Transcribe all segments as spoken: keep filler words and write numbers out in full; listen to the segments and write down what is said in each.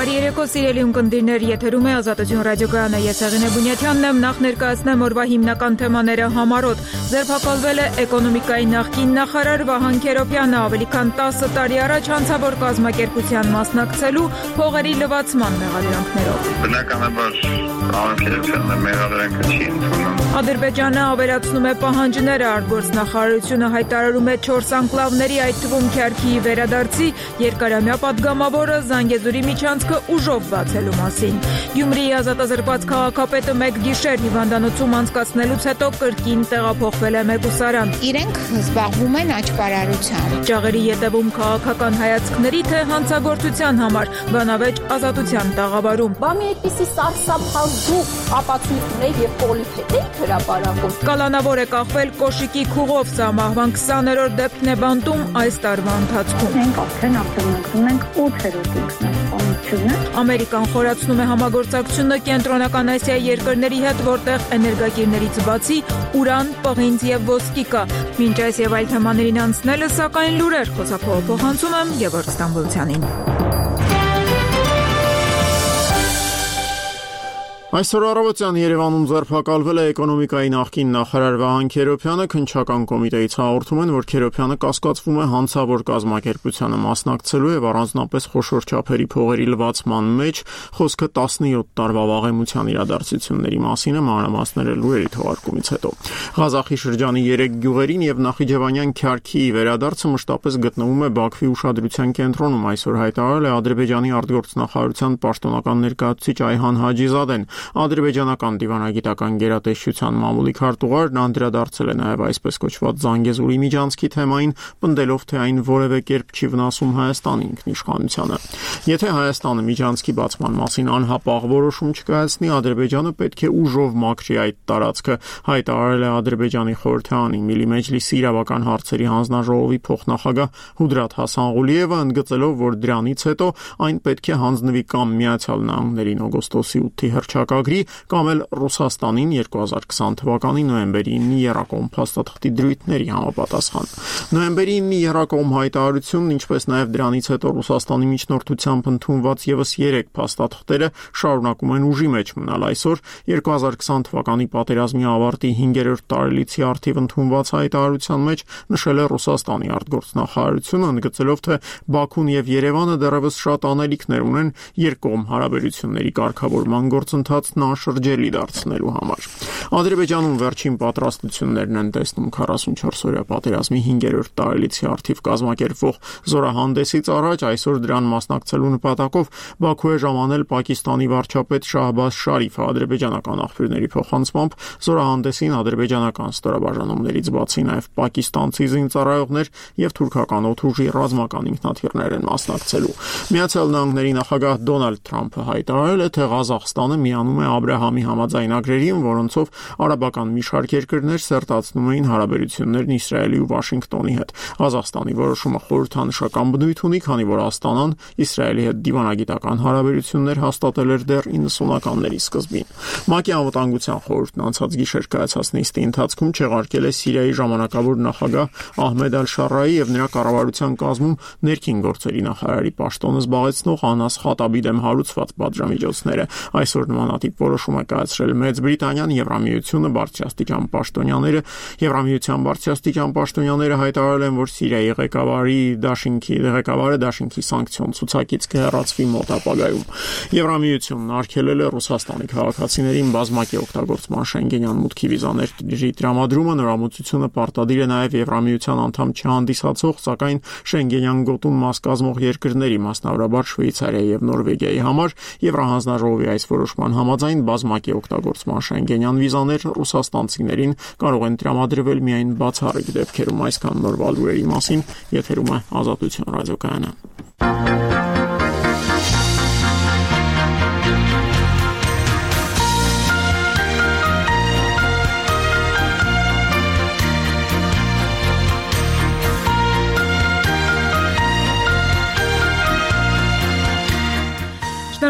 Բարի երեկո, սիրելի ունկնդիրներ, եթերում է Ազատություն ռադիոկայանը, ես Եղինե Բունյաթյանն եմ, նախ ներկայացնեմ օրվա հիմնական թեմաները համառոտ։ Ձերբակալվել է էկոնոմիկայի նախկին նախարար Վահան Քերոբյանը, ավելի քան տասը տարի առաջ հանցավոր կազմակերպության մասնակցելու փողերի լվացման մեղադրանքներով։ Բնականաբար Վահան Քերոբյանը մեղադրանքը չի ընդունում։ Ադրբեջանը ավերացնում է պահանջները, արտգործնախարարությունը հայտարարում է չորս անկլավների, այդ թվում Քյարքիի վերադարձի երկարամյա պատգամավորը Զանգեզուրի միջանցքը ուժով բացելու մասին։ Գյումրիի ազատազրկված քաղաքապետը մեկ գիշեր հիվանդանոցում անցկացնելուց հետո կրկին տեղափոխվել է մեկուսարան։ Իրենք զբաղվում են աճպարարությամբ։ Ճաղերի ետևում քաղաքական հայացքների թե հանցագործության համար բանավեճ Ազատության տաղավարում։ Բա մի այդպիսի սարսափազու ապացույց ունեի եւ պոլիփետ էի հրապարակում։ Կալանավոր է կախվել կոշիկի քուղով, սա մահվան քսաներորդ դեպքն է բանտում այս տարվա ընթացքում։ Մենք արդեն ակտիվացնում ենք ութերորդ ինքնասպանությունը։ Ամերիկան խորացնում է համագործակցությունը Կենտրոնական Ասիայի երկրների հետ, որտեղ էներգակիրներից բացի ուրան, պղինձ եւ ոսկի կա։ Մինչ այս եւ այլ թեմաներին անցնելը, սակայն լուրեր խոսափողը փոխանցում եմ Գևորգ Ստամբոլցյանին։ Այսօր առավոտյան Երևանում ձերբակալվել է էկոնոմիկայի նախկին նախարար Վահան Քերոբյանը, քննչական կոմիտեից հաղորդում են, որ Քերոբյանը կասկածվում է հանցավոր կազմակերպությանը մասնակցելու եւ առանձնապես խոշոր չափերի փողերի լվացման մեջ, խոսքը տասնյոթ տարվա վաղեմության իրադարձությունների մասին է, մանրամասները լուրերի թողարկումից հետո։ Ղազախի շրջանի երեք գյուղերին եւ Նախիջևանյան Քյարքիի վերադարձը մշտապես գտնվում է Բաքվի ուշադրության կենտրոնում, այսօր հայտարարել է Ադրբեջանի արտգործնախարարության պաշտոնական ներկայացուցիչ Այհան Հաջիզադեն։ Ադրբեջանական դիվանագիտական գերատեսչության մամուլի քարտուղարն անդրադարձել է նաև այսպես կոչված Զանգեզուրի միջանցքի թեմային, պնդելով, թե այն որևէ կերպ չի վնասում Հայաստանի ինքնիշխանությանը։ Եթե Հայաստանը միջանցքի բացման մասին անհապաղ որոշում չկայացնի, Ադրբեջանը պետք է ուժով մաքրի այդ տարածքը, հայտարարել է Ադրբեջանի խորհրդարանի Միլի Մեջլիսի իրավական հարցերի հանձնաժողովի փոխնախագահ Հուդրաթ Հասանղուլիևը, ընդգծելով, որ դրանից հետո այն պետք է հանձնվի կամ Միացյալ Նահանգներին օգոստոսի ութի հռչակագրի կամ էլ Ռուսաստանին երկու հազար քսան թվականի նոյեմբերի ինը եռակողմ փաստաթղթի դրույթների համապատասխան։ Նոյեմբերի ինը եռակողմ հայտարարությունն, ինչպես նաև դրանից հետո Ռուսաստանի միջնորդությամբ ընդունված եւս երեք փաստաթղթերը շարունակում են ուժի մեջ մնալ։ Այսօր երկու հազար քսան թվականի պատերազմի ավարտի հինգերորդ տարելիցի արդիվ ընդունված հայտարարության մեջ նշել է Ռուսաստանի արտգործնախարարությունը, ընդգծելով, թե Բաքուն եւ Երևանը դեռևս շատ անելիքներ ունեն երկկողմ հարաբերությունների կարգավորման գործընթացն անշրջելի դարձնելու համար։ Ադրբեջանում վերջին պատրաստություններն են տեսնում քառասունչորս-օրյա պատերազմի հինգերորդ տարելիցի արդիվ կազմակերպվող զորահանդեսից առաջ, այսօր դրան մասնակցելու նպատակով Բաքու է ժամանել Պակիստանի վարչապետ Շահբազ Շարիֆը, ադրբեջանական աղբյուրների փոխանցմամբ զորահանդեսին ադրբեջանական ստորաբաժանումներից բացի նաև պակիստանցի զինծառայողներ եւ թուրքական օդուժի ռազմական ինքնաթիռներ են մասնակցելու։ Միացյալ Նահանգների նախագահ Դոնալդ Թրամփը հայտարարել է, թե Ղազախստանը միանում է Աբրահամի համաձայնագրերին, որոնցով արաբական մի շարք երկրներ սերտացնում էին հարաբերություններն Իսրայելի ու Վաշինգտոնի հետ։ Ղազախստանի որոշումը խորհրդանշական բնույթ ունի, քանի որ Աստանան Իսրայելի հետ դիվանագիտական հարաբերություններ հաստատել էր դեռ իննսունականների սկզբին։ ՄԱԿ-ի անվտանգության խորհուրդն անցած գիշեր կայացած նիստի ընթացքում չեղարկել է Սիրիայի ժամանակավոր նախագահ Ահմեդ Ալ-Շարայի եւ նրա կառավարության կազմում ներքին գործերի նախարարի պաշտոնը զբաղեցնող Անաս Խատաբի դեմ հարուցված պատժամիջոցները։ Այսօր նմանատիպ որոշում է կայացրել Մեծ Բրիտանիան, Եվրամիությունը, բարձրաստիճան պաշտոնյաները։ Եվրամիության բարձրաստիճան պաշտոնյաները հայտարարել են, որ Սիրիայի ղեկավարի Դաշինքի ղեկավարը Դաշինքի սանկցիոն ցուցակից կհեռացվի մոտ ապագայում։ Եվրամիությունն արգելել է Ռուսաստանի քաղաքացիներին բազմակի օգտագործման Շենգենյան մուտքի վիզաների տրամադրումը։ Նորամուծությունը պարտադիր է նաև Եվրամիության անդամ չհանդիսացող, սակայն Շենգենյան գոտուն մաս կազմող երկրների, մասնավորաբար Շվեյցարիայի եւ Նորվեգիայի համար։ Եվրահանձնաժողովի այս որոշման համաձայն բազմակի օգտագործման Շենգենյան վիզաներ ռուսաստանցիներին կարող են տրամադրվել միայն բացառիկ դեպքերում։ Այսքան նոր լուրերի մասին եթերում է Ազատություն ռադիոկայանը։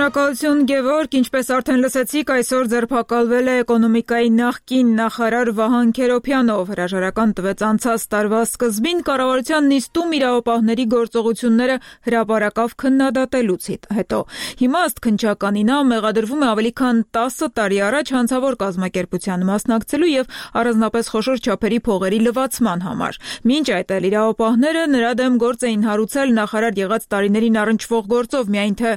Շնորհակալություն Գևորգ, ինչպես արդեն լսեցիք, այսօր ձերբակալվել է էկոնոմիկայի նախկին նախարար Վահան Քերոբյանով։ Հրաժարական տվեց անցած տարվա սկզբին կառավարության նիստում իրավապահների գործողությունները հրապարակավ քննադատելուց հետո։ Հիմա ըստ քննչականի նա մեղադրվում է ավելի քան տասը տարի առաջ հանցավոր կազմակերպության մասնակցելու եւ առանձնապես խոշոր չափերի փողերի լվացման համար։ Մինչ այդ էլ իրավապահները նրա դեմ գործ էին հարուցել նախարար եղած տարիներին առնչվող գործով, միայն թե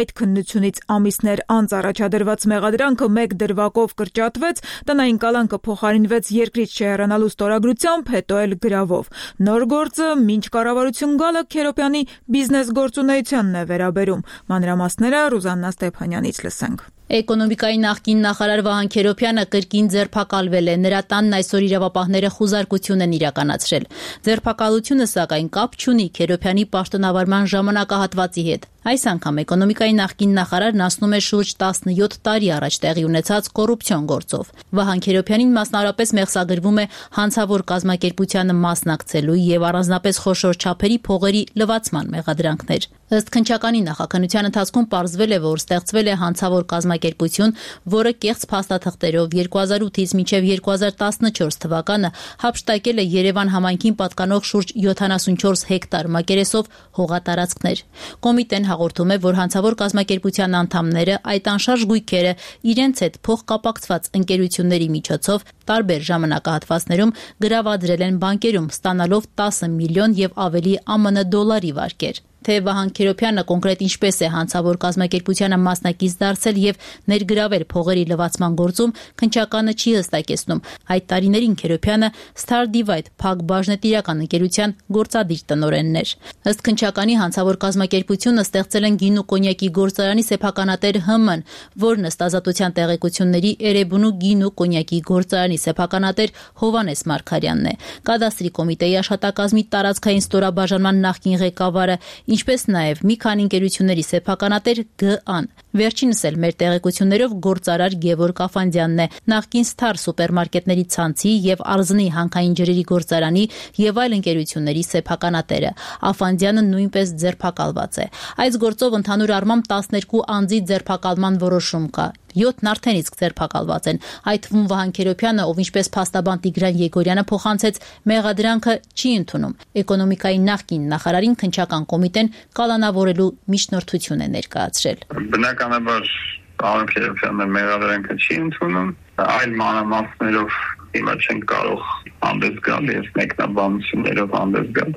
այդ քննությունից ամիսներ անց առաջադրված մեղադրանքը մեկ դրվագով կրճատվեց, տնային կալանքը փոխարինվեց երկրից չհեռանալու ստորագրությամբ, հետո էլ գրավով։ Նոր գործը մինչ կառավարություն գալը Քերոբյանի բիզնես գործունեությանն է վերաբերում։ Մանրամասները Ռուզաննա Ստեփանյանից լսենք։ Էկոնոմիկայի նախկին նախարար Վահան Քերոբյանը կրկին ձերբակալվել է։ Նրա տանն այսօր իրավապահները խուզարկություն են իրականացրել։ Ձերբակալությունը, սակայն, կապ չունի Քերոբյանի պաշտոնավարման ժամանակահատվածի հետ։ Այս անգամ էկոնոմիկայի նախկին նախարարն ասնում է շուրջ տասնյոթ տարի առաջ տեղի ունեցած կոռուպցիոն գործով։ Վահան Քերոբյանին մասնավորապես մեղսագրվում է հանցավոր կազմակերպությանը մասնակցելու եւ առանձնապես խոշոր չափերի փողերի լվացման մեղադրանքներ։ Ըստ քննչականի նախաքննության ընթացքում պարզվել է, որ ստեղծվել է հանցավոր կազմակերպություն, որը կեղծ փաստաթղթերով երկու հազար ութից մինչև երկու հազար տասնչորս թվականը հափշտակել է Երևան համայնքին պատկանող շուրջ յոթանասունչորս հեկտար մակերեսով հողատարածքներ։ Կոմիտեն հաղորդում է, որ հանցավոր կազմակերպության անդամները այդ անշարժ գույքերը իրենց հետ փոխկապակցված ընկերությունների միջոցով տարբեր ժամանակահատվածներում գրավադրել են բանկերում, ստանալով տասը միլիոն եւ ավելի ԱՄՆ դոլարի վարկեր։ Թե Վահան Քերոբյանը կոնկրետ ինչպես է հանցավոր կազմակերպությանը մասնակից դարձել եւ ներգրավել փողերի լվացման գործում, քննչականը չի հստակեցնում։ Այդ տարիներին Քերոբյանը Star Divide փակ բաժնետիրական ընկերության գործադիր տնօրենն էր։ Ըստ քննչականի հանցավոր կազմակերպությունը ստեղծել են գինու կոնյակի գործարանի սեփականատեր Հ Մ-ն, որն ըստ ազատության տեղեկությունների Էրեբունու գինու կոնյակի գործարանի սեփականատեր Հովանես Մարգարյանն է։ Կադաստրի կոմիտեի աշխատակազմի տարածքային ստորաբաժանման նախկին ղեկավարը, ինչպես նաև մի քանի ընկերությունների սեփականատեր Գ Ան։ Վերջինս էլ մեր տեղեկություններով գործարար Գևորգ Աֆանդյանն է, նախկին Star սուպերմարկետների ցանցի եւ Արզնի հանքային ջրերի գործարանի եւ այլ ընկերությունների սեփականատերը։ Աֆանդյանը նույնպես ձերբակալված է։ Այս գործով ընդհանուր առմամբ տասներկու անձի ձերբակալման որոշում կա։ յոթն արդեն իսկ ձերբակալված են։ Այդ թվում Վահան Քերոբյանը, ով ինչպես փաստաբան Տիգրան Եգորյանը փոխանցեց, մեղադրանքը չի ընդունում։ Էկոնոմիկայի նախկին նախարարին քննչական կոմիտեն կալանավորելու միջնորդություն է ներկայացրել։ Բնականաբար պարոն Քերոբյանը մեղադրանքը չի ընդունում, այլ մանրամասներով հիմա չեն կարող հանդես գալ եւ մեկնաբանություններով հանդես գալ։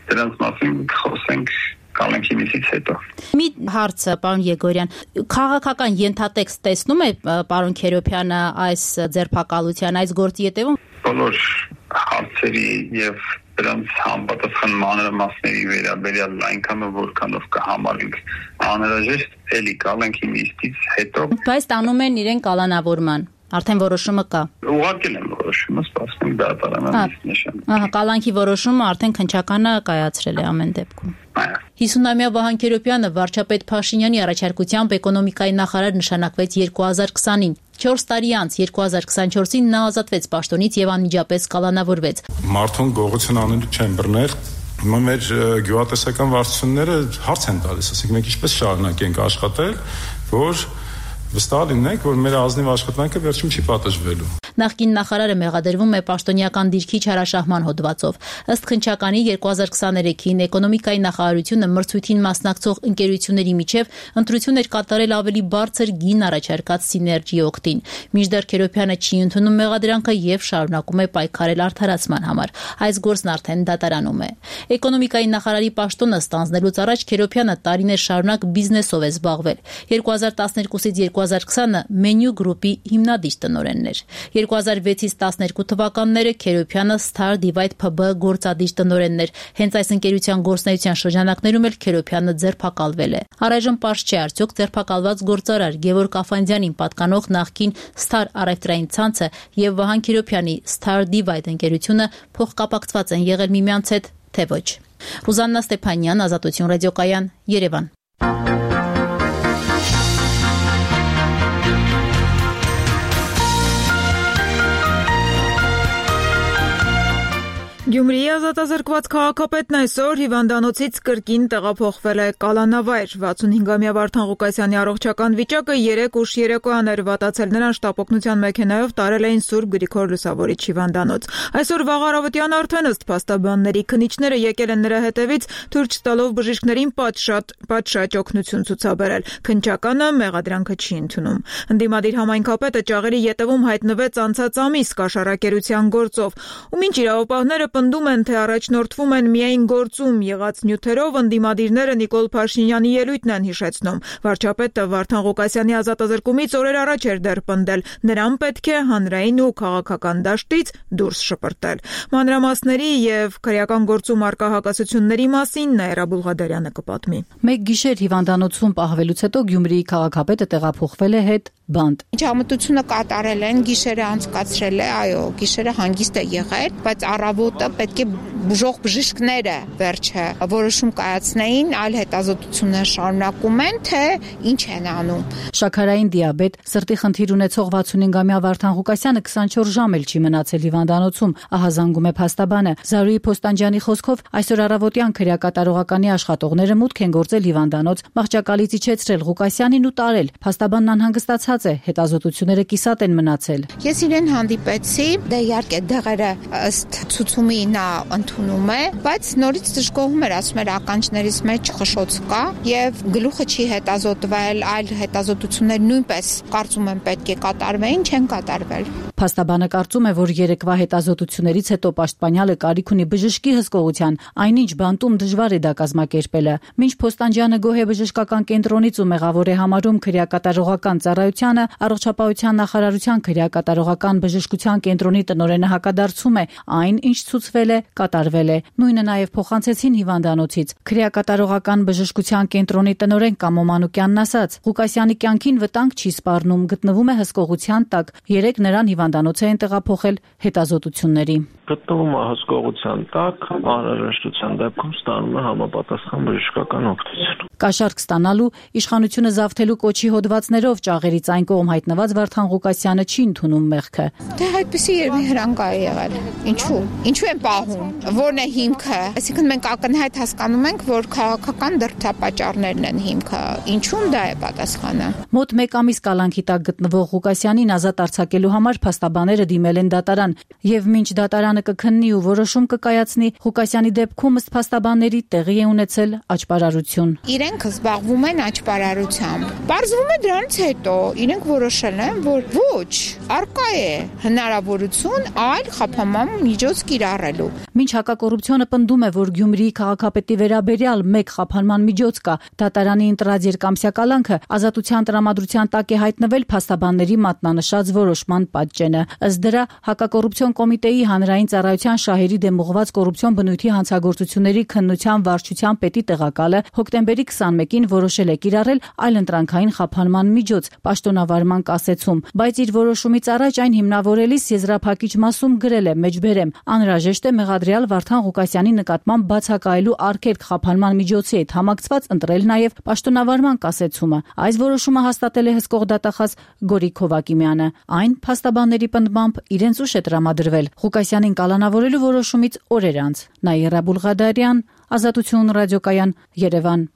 Դրանց մասին խոսենք կալանքի միսից հետո։ Մի հարցը, պարոն Եգորյան, քաղաքական ենթատեքստ տեսնում է պարոն Քերոբյանը այս ձերբակալության, այս գործի հետևում։ Բոլոր հարցերի եւ դրանց համապատասխան մանրամասների վերաբերյալ այնքանով որքանով կհամարենք անհրաժեշտ, էլի կալանքի միսից հետո։ Բայց տանում են իրեն կալանավորման։ Արդեն որոշումը կա։ Ուղղակի են որոշումը, սպասում դատարանից նշան։ Ահա, կալանքի որոշումը արդեն քննչականը կայացրել է ամեն դեպքում։ հիսունամյա Վահան Քերոբյանը վարչապետ Փաշինյանի առաջարկությամբ էկոնոմիկայի նախարար նշանակվեց երկու հազար քսանին։ չորս տարի անց երկու հազար քսանչորսին նա ազատվեց պաշտոնից եւ անմիջապես կալանավորվեց։ Մարդուն գողություն անելու չեն բռնել։ Հիմա մեր գյուղատնտեսական վարչությունները հարց են տալիս, ասենք մենք ինչպես շարունակենք աշխատել, որ վստահ լինենք, որ մեր ազնիվ աշխատանքը վերջում չի պատժվելու։ Նախկին նախարարը մեղադրվում է պաշտոնյական դիրքի չարաշահման հոդվածով։ Ըստ քննչականի երկու հազար քսաներեքին էկոնոմիկայի նախարարությունը մրցույթին մասնակցող ընկերությունների միջև ընտրություն էր կատարել ավելի բարձր գին առաջարկած Սիներգի օգտին։ Մինչդեռ Քերոբյանը չի ընդունում մեղադրանքը եւ շարունակում է պայքարել արդարացման համար։ Այս գործն արդեն դատարանում է։ Էկոնոմիկայի նախարարի պաշտոնը ստանձնելուց առաջ Քերոբյանը տարիներ շարունակ բիզնեսով է զբաղվել։ երկու հազար տասներկուսից երկու հազար քսանը Menu Group-ի հիմնադիր տնօրենն էր։ երկու հազար վեցից տասներկու թվականները Քերոբյանը Star Divide Փ B գործադիր տնօրենն էր։ Հենց այս ընկերության գործնեայության շրջանակներում էլ Քերոբյանը ձերբակալվել է։ Առայժմ պարզ չէ արդյոք ձերբակալված գործարար Գևորգ Աֆանդյանին պատկանող նախկին Star առևտրային ցանցը եւ Վահան Քերոբյանի Star Divide ընկերությունը փոխկապակցված են եղել միմյանց հետ, թե ոչ։ Ռուզաննա Ստեփանյան, Ազատություն ռադիոկայան, Երևան։ Գյումրիի ազատազրկված քաղաքապետն այսօր հիվանդանոցից կրկին տեղափոխվել է կալանավայր։ վաթսունհինգամյա Վարդան Ղուկասյանի առողջական վիճակը երեկ ուշ երեկոյան էր վատացել, նրան շտապօգնության մեքենայով տարել էին Սուրբ Գրիգոր Լուսավորիչ հիվանդանոց։ Այսօր վաղ առավոտյան արդեն ըստ փաստաբանների քննիչները եկել են նրա հետևից, թույլ չտալով բժիշկներին պատշաճ պատշաճ օգնություն ցուցաբերել։ Քննչականը մեղադրանքը չի ընդունում։ Ընդդիմադիր համայնքապետը ճաղերի ետևում հայտնվեց անցած ամիս կաշառակերության գործով, ու մինչ իրավապահները պնդում են, թե առաջնորդվում են միայն գործում եղած նյութերով, ընդդիմադիրները Նիկոլ Փաշինյանի ելույթն են հիշեցնում։ Վարչապետը Վարդան Ղուկասյանի ազատազրկումից օրեր առաջ էր դեռ պնդել, նրան պետք է հանրային ու քաղաքական դաշտից դուրս շպրտել։ Մանրամասների եւ քրեական գործում արկա հակասությունների մասին Նաիրա Բուլղադարյանը կպատմի։ Մեկ գիշեր հիվանդանոցում պահվելուց հետո Գյումրիի քաղաքապետը տեղափոխվել է հետ բանտ։ Ջամտությունը կատարել են, գիշերը անցկացրել է, այո, գիշերը հանգիստ է եղել, բայց առավոտը պետք է բուժող բժիշկները վերջը որոշում կայացնեին, այլ հետազոտություններ շարունակում են, թե ինչ են անում։ Շաքարային դիաբետ, սրտի խնդիր ունեցող վաթսունհինգամյա Վարդան Ղուկասյանը քսանչորս ժամ էլ չի մնացել հիվանդանոցում, ահա զանգում է փաստաբանը։ Զարուհի Փոստանջյանի խոսքով այսօր առավոտյան քրեակատարողականի աշխատողները մուտք են գործել հիվանդանոց, մահճակալից իջեցրել Ղուկասյանին ու տարել։ Փաստաբանն անհանգստացած է, հետազոտությունները կիսատ են մնացել։ Ես իրեն հանդիպեցի, դե իհարկե դեղերը ըստ ցուցումի նա ընդունում է, բայց նորից դժգոհում էր, ասում էր ականջներից մեջ խշշոց կա եւ գլուխը չի հետազոտվել, այլ հետազոտություններ նույնպես կարծում եմ պետք է կատարվեին, չեն կատարվել։ Փաստաբանը կարծում է, որ երեկվա հետազոտություններից հետո պաշտպանյալը կարիք ունի բժշկի հսկողության, այնինչ բանտում դժվար է դա կազմակերպելը։ Մինչ Փոստանջյանը գոհ է բժշկական կենտրոնից ու մեղավոր է համարում քրեակատարողական ծառայությանը, առողջապահության նախարարության քրեակատարողական բժշկության կենտրոնի տնօրենը հակադարձում է, այն ինչ ցուցվել է, կատարվել է։ Նույնը նաև փոխանցեցին հիվանդանոցից։ Քրեակատարողական բժշկության կենտրոնի տնօրեն Կամո Մանուկյանն ասաց. Ղուկասյանի կյանքին վտանգ չի սպառնում, գտնվում է հսկողության տակ։ Երեք նրան հիվանդանոց են տեղափոխել հետազոտությունների։ Գտնվում է հսկողության տակ, անհրաժեշտության դեպքում ստանում է համապատասխան բժշկական օգնություն։ Կաշառք ստանալու, իշխանությունը զավթելու կոչի հոդվածներով ճաղերից այն կողմ հայտնված Վարդան Ղուկասյանը չի ընդունում մեղքը։ Դե այդպեսի երևի հրանգա է եղել։ Ինչու՞։ Ինչու են պահում։ Որն է հիմքը։ Այսինքն մենք ակնհայտ հասկանում ենք, որ քաղաքական դրդապատճառներն են հիմքը։ Ինչու՞մ դա է պատասխանը։ Մոտ մեկ ամիս կալանքի տակ գտնվող Ղուկասյանին ազատ արձակելու համար փաստաբանները դիմել են դատարան, եւ մինչ դատարանը կքննի ու որոշում կկայացնի, Ղուկասյանի դեպքում ըստ փաստաբանների տեղի է ունեցել աճպարարություն։ Իրենք զբաղվում են աճպարարությամբ։ Պարզվում է դրանից հետո իրենք որոշել են, որ ոչ, արկա է հնարավորություն այլ խափանման միջոց կիրառելու։ Մինչ հակակոռուպցիոնը պնդում է, որ Գյումրիի քաղաքապետի վերաբերյալ մեկ խափանման միջոց կա, դատարանի ընտրած երկամսյա կալանքը ազատության տրամադրության տակ է հայտնվել փաստաբանների մատնանշած որոշման պատճենը։ Ըստ դրա հակակոռուպցիոն կոմիտեի հանրային ծառայության շահերի դեմ ուղղված կոռուպցիոն բնույթի հանցագործությունների քննության վարչության պետի տեղակալը հոկտեմբերի քսանմեկին որոշել է կիրառել այլընտրանքային խափանման միջոց պաշտոնավարման կասեցում, բայց իր որոշումից առաջ այն հիմնավորելիս եզրափակիչ մասում գրել է մեջբերեմ. անհրաժեշտ է մեղադրյալ Վարդան Ղուկասյանի նկատմամբ բացակայելու արգելք խափանման միջոցի հետ համակցված ընտրել նաև պաշտոնավարման կասեցումը։ Այս որոշումը հաստատել է հսկող դատախազ Գորիկ Հովակիմյանը։ Այն փաստաբանների պնդմամբ իրենց ուշ է տրամադրվել Ղուկասյանին կալանավորելու որոշումից օրեր անց։ Նաիրա Բուլղադարյան, Ազատություն ռադիոկայան, Երևան։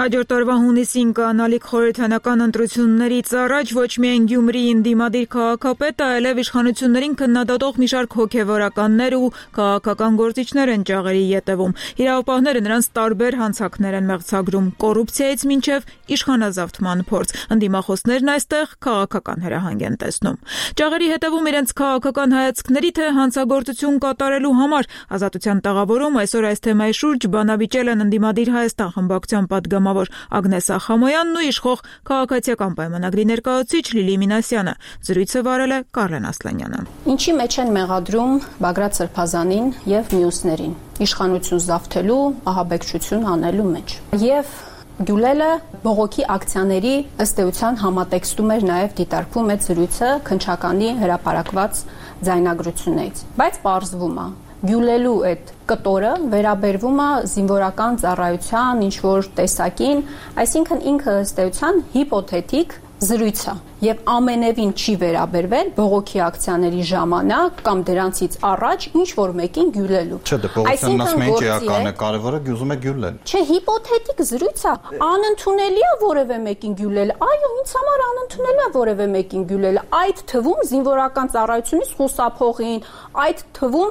Հաջորդ տարվա հունիսին կանալիք խորհրդանական ընտրություններից առաջ ոչ միայն Գյումրիի ընդդիմադիր քաղաքապետը, այլև իշխանություններին քննադատող մի շարք հոգևորականներ ու քաղաքական գործիչներ են ճաղերի ետևում։ Իրավապահները նրանց տարբեր հանցանքներ են մեղցագրում՝ կոռուպցիայից մինչև իշխանազավթման փորձ։ Ընդդիմախոսներն այստեղ քաղաքական հրահանգ են տեսնում։ Ճաղերի հետևում իրենց քաղաքական հայացքների թե հանցագործություն կատարելու համար Ազատության տաղավարում այսօր այս թեմայի շուրջ բանավիճել են ընդդիմադիր Հայաստան խմբակցության պատգամավոր Ագնես Ախամոյանն ու իշխող քաղաքացիական պայմանագրի ներկայացուցիչ Լիլի Մինասյանը։ Զրույցը վարել է Կարլեն Ասլանյանը։ Ինչի մեջ են մեղադրում Բագրատ Սրբազանին եւ մյուսներին իշխանություն զավթելու, ահաբեկչություն անելու մեջ։ Եվ Գյուլելը բողոքի ակցիաների ըստ էության համատեքստում էր նաև դիտարկվում այդ զրույցը քննչականի հրապարակված ձայնագրություններից։ Բայց պարզվում է, գյուլելու այդ կտորը վերաբերվում է զինվորական ծառայության ինչ որ տեսակին, այսինքն ինքը ըստ էության հիպոթետիկ զրույց է եւ ամենևին չի վերաբերվել բողոքի ակցիաների ժամանակ կամ դրանցից առաջ ինչ որ մեկին գյուլելու։ Չէ, դե բողոքն ասում են էական է, կարևորը գյուզում է գյուլել։ Չէ, հիպոթետիկ զրույց է, անընդունելի է որևէ մեկին գյուլել։ Այո, ինձ համար անընդունելի է որևէ մեկին գյուլել։ Այդ թվում զինվորական ծառայությունից խուսափողին, այդ թվում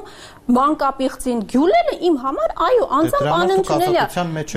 մանկապիղծին գյուլելը իմ համար այո անձամբ անընդունելի է,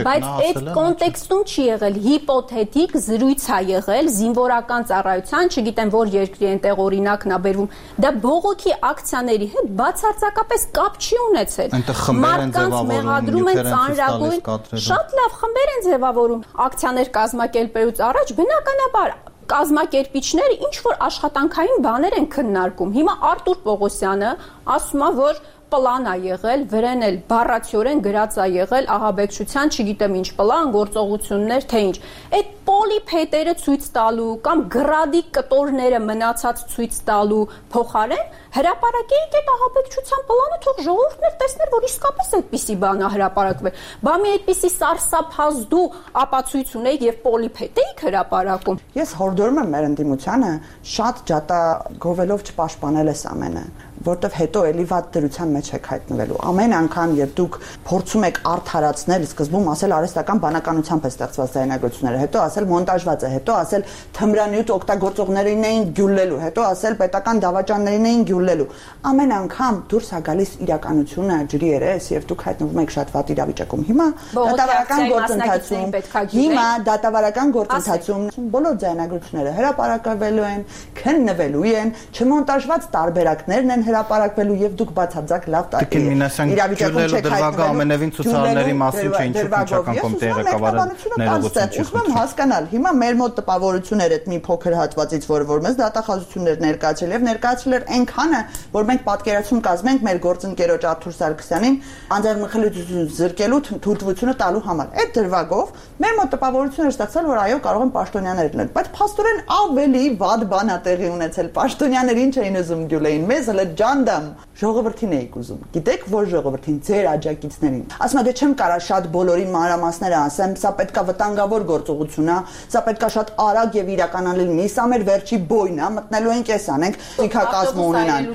բայց այդ կոնտեքստում չի եղել, հիպոթետիկ զրույց է եղել զինվորական ծառայության, չգիտեմ որ երկրի այնտեղ օրինակն է բերվում, դա բողոքի ակցիաների հետ բացարձակապես կապ չի ունեցել։ Մարդկանց մեղադրում են ծանրագույն, շատ լավ խմբեր են ձևավորում, ակցիաներ կազմակերպելուց առաջ բնականաբար կազմակերպիչները ինչ որ աշխատանքային բաներ են քննարկում։ Հիմա Արտուր Պողոսյանը ասում է, որ պլան է եղել, վրան էլ բառացիորեն գրած է եղել ահաբեկչության, չգիտեմ ինչ պլան, գործողություններ, թե ինչ։ Այդ պոլիփետերը ցույց տալու կամ գրադի կտորները մնացած ցույց տալու փոխարեն հրապարակեիք այդ ահաբեկչության պլանը, թող ժողովուրդն էլ տեսներ, որ իսկապես այդպիսի բան է հրապարակվել։ Բա մի այդպիսի սարսափազդու ապացույց ունեիք եւ պոլիփետ էիք հրապարակում։ Ես հորդորում եմ մեր ընդդիմությանը շատ ջատագովելով չպաշտպանել այս ամենը, որտեվ հետո էլի վատ դրության մեջ եք հայտնվելու։ Ամեն անգամ, երբ դուք փորձում եք արդարացնել, սկզբում ասել արհեստական բանականությամբ է ստեղծված ձայնագրությունները, հետո ասել մոնտաժված է, հետո ասել թմրանյութ օգտագործողներին էին գյուլելու, հետո ասել պետական դավաճաններին էին գյուլելու։ Ամեն անգամ դուրս է գալիս իրականությունը ջրի երես եւ դուք հայտնվում եք շատ վատ իրավիճակում։ Հիմա դատավարական գործընթացում, հիմա դատավարական գործընթացում բոլոր ձայնագրությունները հրապարակվելու են, քննվելու են, չմոնտաժված տարբերակներն են հրապարակվելու եւ դուք բացարձակ լավ իրավիճակում չեք հայտնվելու ամենևին ցուցարարների մասին չէ ինչու քննչական կոմիտեի ղեկավարը ներողություն չի խնդրում հասկանալ հիմա մեր մոտ տպավորություններ այդ մի փոքր հատվածից որ որ մեզ դատախազություններ ներկայացել եւ ներկայացել էր այնքանը որ մենք պատկերացում կազմենք մեր գործընկերոջ Արթուր Սարգսյանին անձեռնմխելիություն զրկելու թույլտվությունը տալու համար այդ դրվագով մեր մոտ տպավորություններ ստացել որ այո կարող են պաշտոնյաներ լինել բայց փաստորեն ավելի վատ բան է տեղի ունեցել պաշտոնյաներին չէին ուզում գյուլեին մեզ ջանդամ ժողովրդին էիք ուզում։ Գիտեք որ ժողովրդին ձեր աջակիցներին։ Ասում եմ դե չեմ կարա շատ բոլորի մանրամասները ասեմ, սա պետքա վտանգավոր գործողություն է, սա պետքա շատ արագ եւ իրականանալի լինի, սա մեր վերջի բոյն է, մտնելու ենք էս անենք, ցիկակազմ ունենան։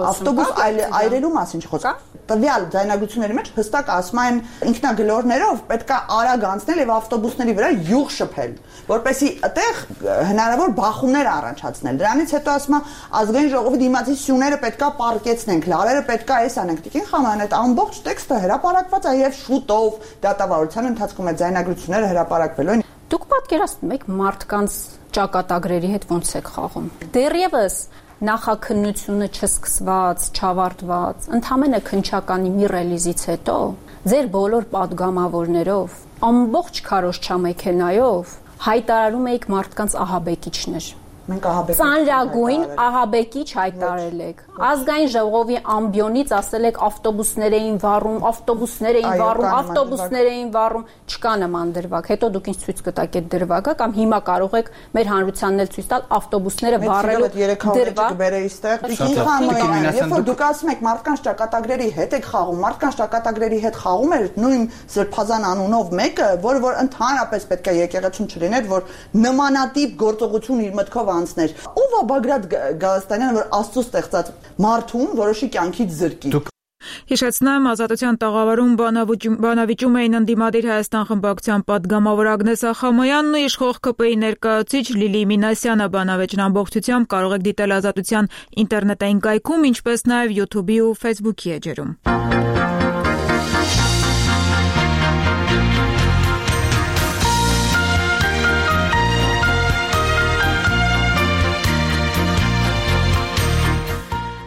Ավտոբուս այրելու մասին չխոսք։ Տվյալ ձայնագրությունների մեջ հստակ ասում են ինքնագլորներով պետքա արագ անցնել եւ ավտոբուսների վրա յուղ շփել, որպեսզի այդտեղ հնարավոր բախումներ առաջացնել։ Դրանից հետո ասում է ազգային ժողովի դիմացի սյուները պետքա պարկեցնենք, լարերը պետքա էս անենք։ Տիկին Խամանյան այդ ամբողջ տեքստը հրապարակված է եւ շուտով դատավարության ընթացքում այդ ձայնագրությունները հրապարակվելու են։ Դուք պատկերացնում եք մարդկանց ճակատագրերի հետ ոնց եք խաղում։ Դեռևս նախաքննությունը չսկսված, չավարտված, ընդհանրապես քննչականի մի ռելիզից հետո ձեր բոլոր падգամավորներով, ամբողջ քարոզչա մեքենայով հայտարարում եք մարդկանց ահաբեկիչներ։ Մենք ահաբեկիչ ծանրագույն ահաբեկիչ հայտարարել եք։ Ազգային ժողովի ամբիոնից ասել եք ավտոբուսներ էին վառում, ավտոբուսներ էին վառում, ավտոբուսներ էին վառում, չկա նման դրվագ։ Հետո դուք ինձ ցույց կտաք այդ դրվագը կամ հիմա կարող եք մեր հանրությանն էլ ցույց տալ ավտոբուսները վառելու դրվագ։ Երբ որ դուք ասում եք մարդկանց ճակատագրերի հետ եք խաղում, մարդկանց ճակատագրերի հետ խաղում էր նույն Սրբազան անունով մեկը, որը որ ընդհանրապես պետք է եկեղեցում չլիներ, որ նմանատիպ գործողություն իր մտքով անցներ։ Ո՞վ է Բագրատ Գալստանյանը, որ Աստծո ստեղծած մարդուն որոշի կյանքից զրկի։ Հիշեցնեմ, Ազատության տաղավարում բանավիճում էին ընդդիմադիր Հայաստան խմբակցության պատգամավոր Ագնես Ախամոյանն ու իշխող ԿՊ-ի ներկայացուցիչ Լիլի Մինասյանը։ Բանավեճն ամբողջությամբ կարող եք դիտել Ազատության ինտերնետային կայքում, ինչպես նաև YouTube-ի ու Facebook-ի էջերում։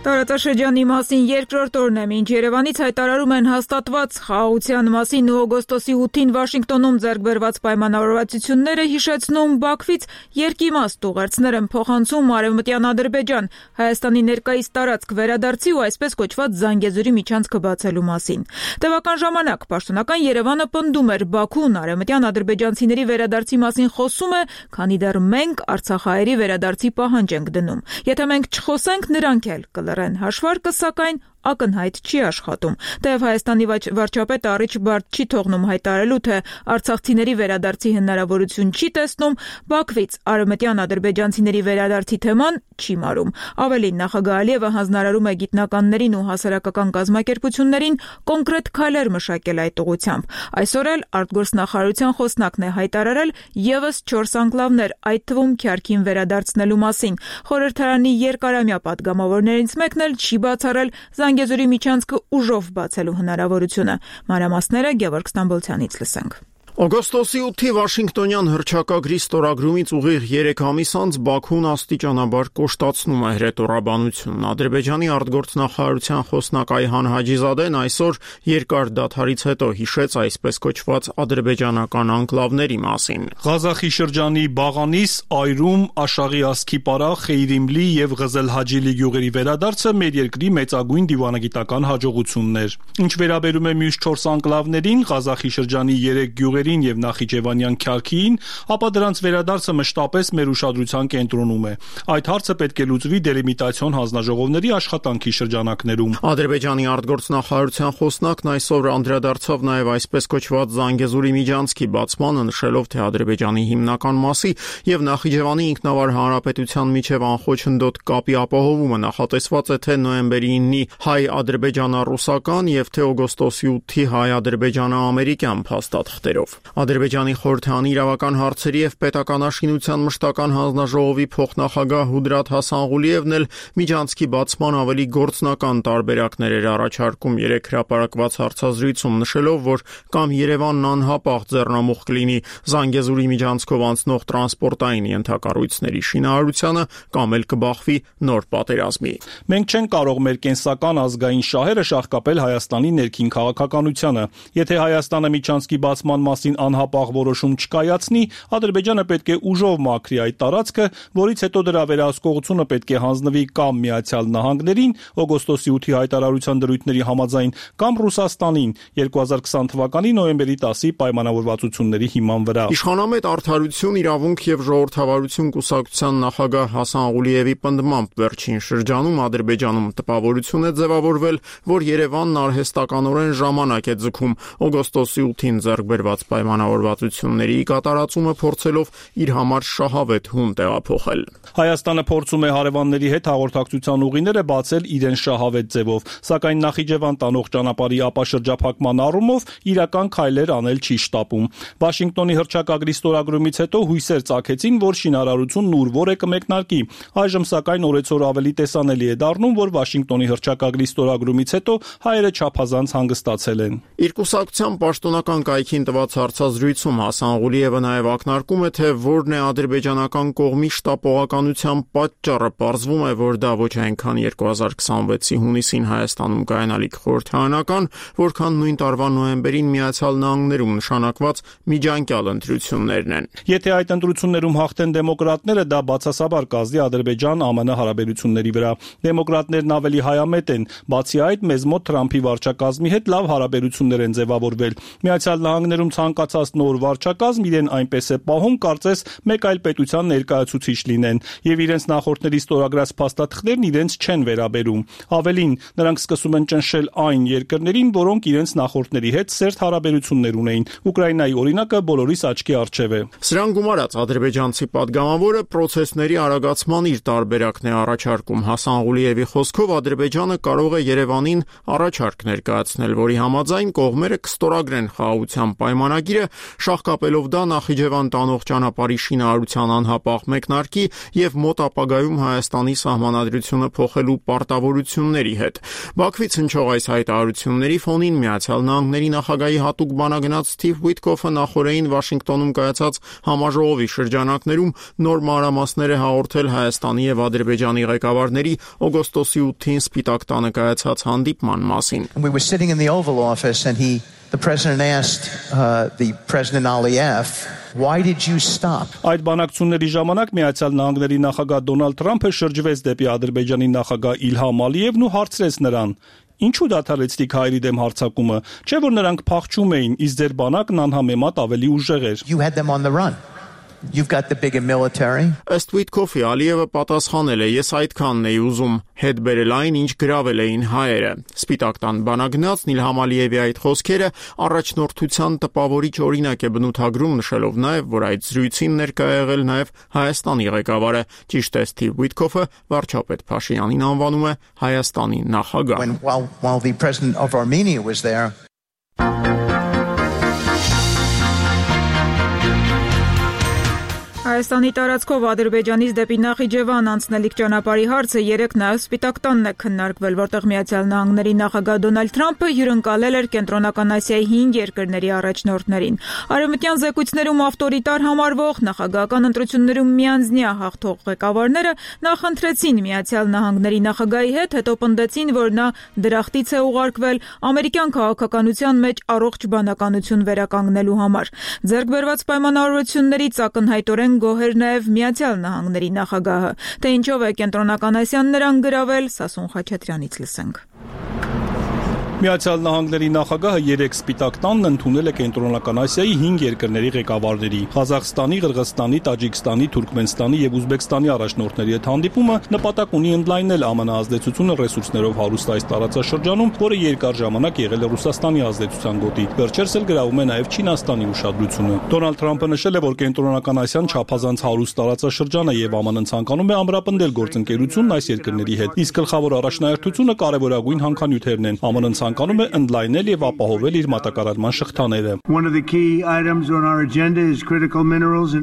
Տարածաշրջանի մասին երկրորդ օրն է, մինչ Երևանից հայտարարում են հաստատված խաղաղության մասին ու օգոստոսի ութին Վաշինգտոնում ձեռք բերված պայմանավորվածությունները, հիշեցնում Բաքվից երկիմաստ ուղերձներ են փոխանցում Արևմտյան Ադրբեջան, Հայաստանի ներկայիս տարածք վերադարձի ու այսպես կոչված Զանգեզուրի միջանցքը բացելու մասին։ Տևական ժամանակ պաշտոնական Երևանը պնդում էր Բաքուն արևմտյան ադրբեջանցիների վերադարձի մասին խոսում է, քանի դեռ մենք արցախահայերի վերադարձի պահանջ ենք դնում։ Եթե մենք չխոսենք, նրանք էլ կլռեն։ Հաշվարկը սակայն ակնհայտ չի աշխատում։ Թեև Հայաստանի վարչապետը առիթ բարդ չի թողնում հայտարարելու, թե արցախցիների վերադարձի հնարավորություն չի տեսնում, Բաքվից արևմտյան ադրբեջանցիների վերադարձի թեման չի մարում։ Ավելին, նախագահ Ալիևը հանձնարարում է գիտնականներին ու հասարակական կազմակերպություններին կոնկրետ քայլեր մշակել այդ ուղղությամբ։ Այսօր էլ արտգործնախարարության խոսնակն է հայտարարել ևս չորս անկլավներ, այդ թվում Քյարքին վերադարձնելու մասին։ Խորհրդարանի երկարամյա պատգամավորներից մեկն էլ չի բացառել Զանգեզուրի միջանցքը ուժով բացելու հնարավորությունը։ Մանրամասները Գևորգ Ստամբոլցյանից լսենք։ Օգոստոսի ութի Վաշինգտոնյան հռչակագրի ստորագրումից ուղիղ երեք ամիս անց Բաքուն աստիճանաբար կոշտացնում է հրետորաբանությունն։ Ադրբեջանի արտգործնախարարության խոսնակ Այհան Հաջիզադեն այսօր երկար դադարից հետո հիշեց այսպես կոչված ադրբեջանական անկլավների մասին։ Ղազախի շրջանի Բաղանիս, Այրում, Աշաղի Ասքիպարա, Խեյրիմլի եւ Ղզելհաջիլի գյուղերի վերադարձը մեր երկրի մեծագույն դիվանագիտական հաջողությունն էր։ Ինչ վերաբերում է մյուս չորս անկլավներին, Ղազախի շրջանի երեք գյուղերի եւ Նախիջևանյան Քյարքիին, ապա դրանց վերադարձը մշտապես մեր ուշադրության կենտրոնում է։ Այդ հարցը պետք է լուծվի դելիմիտացիոն հանձնաժողովների աշխատանքի շրջանակներում։ Ադրբեջանի արտգործնախարարության խոսնակն այսօր անդրադարձավ նաեւ այսպես կոչված Զանգեզուրի միջանցքի բացմանը, նշելով, թե Ադրբեջանի հիմնական մասի եւ Նախիջևանի ինքնավար հանրապետության միջև անխոչնդոտ կապի ապահովումը նախատեսված է թե նոյեմբերի իննի հայ-ադրբեջանա-ռուսական եւ թե օգոստոսի ութի հայ-ադրբեջանա-ամերիկյան փաստաթղթերով։ Ադրբեջանի խորհրդանի իրավական հարցերի եւ պետականաշինության մշտական հանձնաժողովի փոխնախագահ Հուդրաթ Հասանղուլիևն էլ միջանցքի բացման ավելի գործնական տարբերակներ էր առաջարկում երեք հրապարակված հարցազրույցում, նշելով, որ կամ Երևանն անհապաղ ձեռնամուխ կլինի Զանգեզուրի միջանցքով անցնող տրանսպորտային ենթակառույցների շինարարությանը, կամ էլ կբախվի նոր պատերազմի։ Մենք չենք կարող մեր կենսական ազգային շահերը շահկապել Հայաստանի ներքին քաղաքականությանը։ Եթե Հայաստանը միջանցքի բացման մասին անհապաղ որոշում չկայացնի, Ադրբեջանը պետք է ուժով մաքրի այդ տարածքը, որից հետո դրա վերահսկողությունը պետք է հանձնվի կամ Միացյալ Նահանգներին օգոստոսի ութի հայտարարության դրույթների համաձայն, կամ Ռուսաստանին երկու հազար քսան թվականի նոյեմբերի տասի պայմանավորվածությունների հիման վրա։ Իշխանամետ Արդարություն, իրավունք եւ ժողովրդավարություն կուսակցության նախագահ Հասան Ղուլիևի պնդմամբ վերջին շրջանում Ադրբեջանում տպավորություն է ձևավորվել, որ Երևանն արհեստականորեն ժամանակ է ձգում օգոստոսի ութին ձեռք բերված պայմանավորվածությունների կատարածումը փորձելով իր համար շահավետ հուն տեղափոխել։ Հայաստանը փորձում է հարևանների հետ հաղորդակցության ուղիները բացել իրեն շահավետ ձևով, սակայն Նախիջևան տանող ճանապարհի ապաշրջափակման առումով իրական քայլեր անել չի շտապում։ Վաշինգտոնի հռչակագրի ստորագրումից հետո հույսեր ծագեցին, որ շինարարությունն ուրվոր է կմեկնարկի։ Այժմ սակայն օրեցօր ավելի տեսանելի է դառնում, որ Վաշինգտոնի հռչակագրի ստորագրումից հետո հայերը չափազանց հանգստացել են։ Իր կուսակցության պաշտոնական կայքին տված հարցազրույցում Հասան Ղուլիևը նաև ակնարկում է, թե որն է ադրբեջանական կողմի շտապողականության պատճառը։ Պարզվում է, որ դա ոչ այնքան երկու հազար քսանվեցի հունիսին Հայաստանում կայանալիք խորհրդարանական, որքան նույն տարվա նոյեմբերին Միացյալ Նահանգներում նշանակված միջանկյալ ընտրություններն են։ Եթե այդ ընտրություններում հաղթեն դեմոկրատները, դա բացասաբար կազդի Ադրբեջան-ԱՄՆ հարաբերությունների վրա։ Դեմոկրատներն ավելի հայամետ են, բացի այդ մեզ մոտ Թրամփի վարչակազմի հետ լավ հարաբերություններ են ձևավորվել։ Միացյալ Նահանգներում ցանկացած նոր վարչակազմ իրեն այնպես է պահում, կարծես մեկ այլ պետության ներկայացուցիչ լինեն, եւ իրենց նախորդների ստորագրած փաստաթղթերն իրենց չեն վերաբերում։ Ավելին, նրանք սկսում են ճնշել այն երկրներին, որոնք իրենց նախորդների հետ սերտ հարաբերություններ ունեին։ Ուկրաինայի օրինակը բոլորիս աչքի առջև է։ Սրան գումարած ադրբեջանցի падգամավորը process-ների արագացման իր տարբերակն է առաջարկում։ Հասան Ղուլիևի խոսքով Ադրբեջանը կարող է Երևանին առաջարկ ներկայացնել, որի համաձայն կողմերը կստորագրեն խաղաղության պայմանագիրը, շահկապելով դա Նախիջևան տանող ճանապարհի շինարարության անհապաղ մեկնարկի եւ մոտ ապագայում Հայաստանի սահմանադրությունը փոխելու պարտավորությունների հետ։ Բաքվից հնչող այս հայտարարությունների ֆոնին Միացյալ Նահանգների նախագահի հատուկ բանագնաց Սթիվ Ուիթկոֆը նախորդին Վաշինգտոնում կայացած համաժողովի շրջանակներում նոր մանրամասներ է հաղորդել Հայաստանի եւ Ադրբեջանի ղեկավարների օգոստոսի ութին Սպիտակ տանը կայացած հանդիպման մասին։ We were sitting in the Oval Office and he the president asked uh, the President Aliyev, why did you stop? Այդ բանակցությունների ժամանակ Միացյալ Նահանգների նախագահ Դոնալդ Թրամփը շրջվեց դեպի Ադրբեջանի նախագահ Իլհամ Ալիևն ու հարցրեց նրան. Ինչու դադարեցիք հայերի դեմ հարձակումը, չէ՞ որ նրանք փախչում էին, իսկ ձեր բանակն անհամեմատ ավելի ուժեղ էր։ You had them on the run. you've got the bigger military. Ըստ Վիտկոֆի Ալիևը պատասխանել է. Ես այդքանն էի ուզում հետ բերել այն, ինչ գրավել էին հայերը։ Սպիտակ տան բանագնացն Իլհամ Ալիևի այդ խոսքերը առաջնորդության տպավորիչ օրինակ է բնութագրում, նշելով նաև, որ այդ զրույցին ներկա եղել նաև Հայաստանի ղեկավարը։ Ճիշտ է, Սթիվ Վիտկոֆը վարչապետ Փաշինյանին անվանում է Հայաստանի նախագահ։ When, while, while the president of Armenia was there. Հայաստանի տարածքով Ադրբեջանից դեպի Նախիջևան անցնելիք ճանապարհի հարցը երեկ նաև Սպիտակ տանն է քննարկվել, որտեղ Միացյալ Նահանգների նախագահ Դոնալդ Թրամփը հյուրընկալել էր Կենտրոնական Ասիայի հինգ երկրների առաջնորդներին։ Արևմտյան զեկույցներում ավտորիտար համարվող նախագահական ընտրություններում միանձնյա հաղթող ղեկավարները նախընտրեցին Միացյալ Նահանգների նախագահի հետ, հետո պնդեցին, որ նա դրախտից է ուղարկվել ամերիկյան քաղաքականության մեջ առողջ բանականություն վերականգնելու համար։ Ձեռք բերված պայմանավորություններից ակնհայտորեն գոհ էր նաև Միացյալ Նահանգների նախագահը, թե ինչով է Կենտրոնական Ասիան նրան գրավել, Սասուն Խաչատրյանից լսենք։ Միացյալ Նահանգների նախագահը երեք Սպիտակ տանն ընդունել է Կենտրոնական Ասիայի հինգ երկրների ղեկավարների՝ Ղազախստանի, Ղրղստանի, Տաջիկստանի, Թուրքմենստանի եւ Ուզբեկստանի առաջնորդների հետ հանդիպումը նպատակ ունի ընդլայնել ԱՄՆ ազդեցությունը ռեսուրսներով հարուստ այս տարածաշրջանում, որը երկար ժամանակ եղել է Ռուսաստանի ազդեցության գոտի։ Վերջերս էլ գրավում է նաև Չինաստանի ուշադրությունը։ Դոնալդ Թրամփը նշել է, որ Կենտրոնական Ասիան չափազանց հարուստ տարածաշրջան է եւ ԱՄՆ-ն ցանկանում է ամրապնդել գործընկերությունն այս երկրների հետ։ Իսկ գլխավոր առաջնահերթությունը կարևորագույն հանքանյութերն են։ ԱՄՆ-ն ցանկանում է ընդլայնել եւ ապահովել իր մատակարարման շղթաները։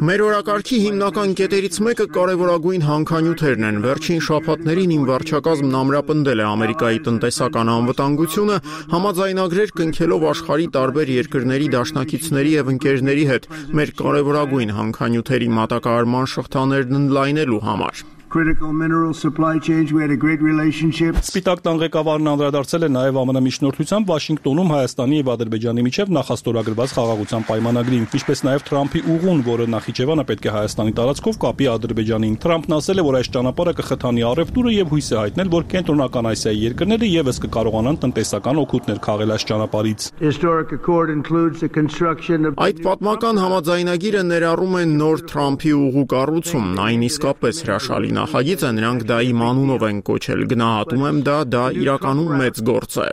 Մեր օրակարգի հիմնական կետերից մեկը կարևորագույն հանքանյութերն են։ Վերջին շաբաթներին իմ վարչակազմն ամրապնդել է Ամերիկայի տնտեսական անվտանգությունը, համաձայնագրեր կնքելով աշխարհի տարբեր երկրների դաշնակիցների եւ ընկերների հետ մեր կարևորագույն հանքանյութերի մատակարարման շղթաներն ընդլայնելու համար։ Critical mineral supply chains, we had a great relationship. Սպիտակ տան ղեկավարն անդրադարձել է նաև ԱՄՆ միջնորդությամբ Վաշինգտոնում Հայաստանի եւ Ադրբեջանի միջև նախաստորագրված խաղաղության պայմանագրին, ինչպես նաև Թրամփի ուղուն, որը Նախիջևանը պետք է Հայաստանի տարածքով կապի Ադրբեջանին։ Թրամփն ասել է, որ այս ճանապարհը կխթանի առևտուրը եւ հույս է հայտնել, որ Կենտրոնական Ասիայի երկրները եւս կկարողանան տնտեսական օգուտներ քաղել այս ճանապարհից։ Historic accord includes the construction of Այդ պատմական համաձայնագիրը ներառում է նոր Թրամփի ուղու կառուցումն, այն իսկապես հրաշալի նախագիծ է, նրանք դա իմ անունով են կոչել, գնահատում եմ դա, դա իրականում մեծ գործ է։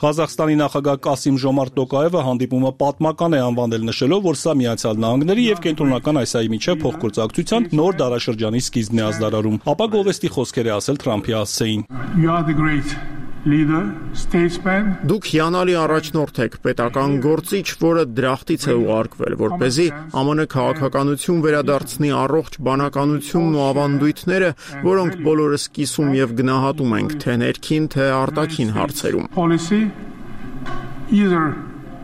Ղազախստանի նախագահ Կասիմ Ժոմարտ Տոկաևը հանդիպումը պատմական է անվանել, նշելով, որ սա Միացյալ Նահանգների եւ Կենտրոնական Ասիայի միջև փոխգործակցության նոր դարաշրջանի սկիզբն է ազդարարում։ Ապա գովեստի խոսքեր է ասել Թրամփի հասցեին։ Leader, statesman. Դուք հիանալի առաջնորդ եք, պետական գործիչ, որը դրախտից է ուղարկվել, որպեսզի ԱՄՆ քաղաքականություն վերադարձնի առողջ բանականությունն ու ավանդույթները, որոնք բոլորս կիսում եւ գնահատում ենք, թե ներքին, թե արտաքին հարցերում։ Policy either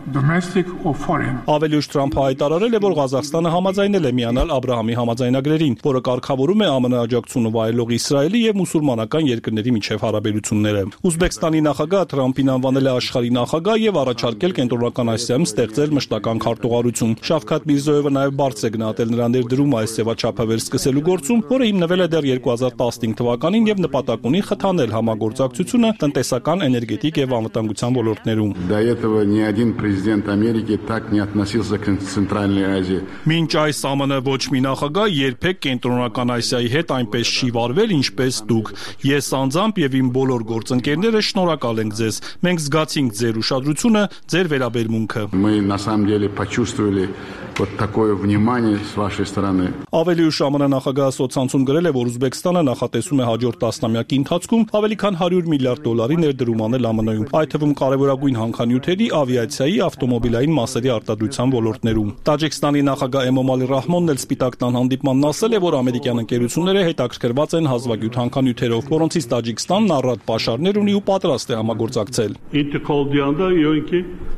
domestic or foreign. Ավելի ուշ Թրամփը հայտարարել է, որ Ղազախստանը համաձայնել է միանալ Աբրահամի համաձայնագրերին, որը կարգավորում է ԱՄՆ աջակցությունը վայելող Իսրայելի եւ մուսուլմանական երկրների միջև հարաբերությունները։ Ուզբեկստանի նախագահ Թրամփին անվանել է աշխարհի նախագահ եւ առաջարկել Կենտրոնական Ասիայում ստեղծել մշտական քարտուղարություն։ Շավքաթ Միրզոևը նաեւ բարձր է գնահատել նրա ներդրումը այս սեվաչափավեր սկսելու գործում, որը հիմնվել է դեռ երկու հազար տասնհինգ թվականին եւ նպատակ ունի խթանել համագործակցությունը տնտեսական, էներգետիկ եւ անվտանգության ոլորտներում։ До этого ни один президент Америки так не относился к Центральной Азии. Մինչ այս ԱՄՆ ոչ մի նախագահ երբեք Կենտրոնական Ասիայի հետ այնպես չի վարվել, ինչպես դուք։ Ես անձամբ եւ իմ բոլոր գործընկերները շնորհակալ ենք ձեզ։ Մենք զգացինք ձեր ուշադրությունը, ձեր վերաբերմունքը։ Мы на самом деле почувствовали вот такое внимание с вашей стороны. Ավելի ուշ ԱՄՆ նախագահը սոցցանցում գրել է, որ Ուզբեկստանը նախատեսում է հաջորդ տասնամյակի ընթացքում ավելի քան հարյուր միլիարդ դոլարի ներդրում անել ԱՄՆ-ում, այդ թվում կարևորագույն հանքանյութերի, ավիացիայի, ավտոմոբիլային մասերի արտադրության ոլորտներում։ Տաջիկստանի նախագահ Էմոմալի Ռահմոնն էլ Սպիտակ տան հանդիպմանն ասել է, որ ամերիկյան ընկերությունները հետաքրքրված են հազվագյուտ հանքանյութերով, որոնցից Տաջիկստանն առատ պաշարներ ունի ու պատրաստ է համագործակցել։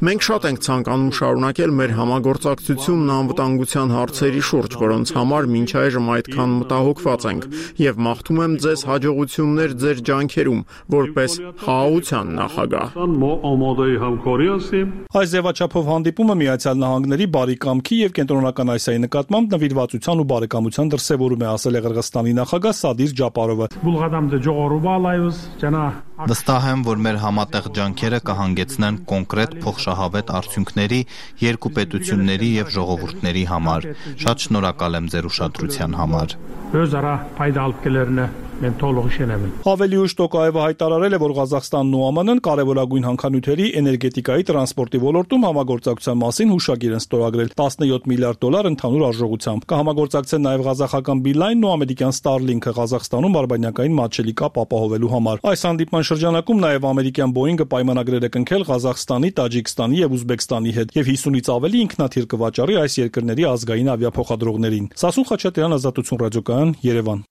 Մենք շատ ենք ցանկանում շարունակել մեր համագործակցությունն անվտանգության հարցերի շուրջ, որոնց համար մինչ այժմ այդքան մտահոգված ենք, եւ մաղթում եմ ձեզ հաջողություններ ձեր ջանքերում, որպես խաղաղության նախագահ։ Այս ձևաչափով հանդիպումը Միացյալ Նահանգների բարի կամքի եւ Կենտրոնական Ասիայի նկատմամբ նվիրվածության ու բարեկամության դրսեւորում է, ասել է Ղրղստանի նախագահ Սադիր Ջապարովը։ Վստահ եմ, որ մեր համատեղ ջանքերը կհանգեցնեն կոնկրետ փոխշահավետ արդյունքների երկու պետությունների եւ ժողովուրդների համար։ Շատ շնորհակալ եմ ձեր ուշադրության համար։ Ավելի ուշ Տոկաևը հայտարարել է, որ Ղազախստանն ու ԱՄՆ-ն կարևորագույն հանքանյութերի, էներգետիկայի, տրանսպորտի ոլորտում համագործակցության մասին հուշագիր են ստորագրել տասնյոթ միլիարդ դոլար ընդհանուր արժողությամբ։ Կհամագործակցեն նաև ղազախական Beeline-ն ու ամերիկյան Starlink-ը Ղազախստանում արբանյակային մատչելի կապ ապահովելու համար։ Այս հանդիպման շրջանակում նաև ամերիկյան Boeing-ը պայմանագրեր է կնքել Ղազախստանի, Տաջիկստանի եւ Ուզբեկստանի հետ եւ հիսունից ավելի ինքնաթիռ կվաճառի այս երկրների ազգային ավիափոխադրողներին։ Սասուն Խաչատրյան, Ազատություն ռադիոկայան, Երևան։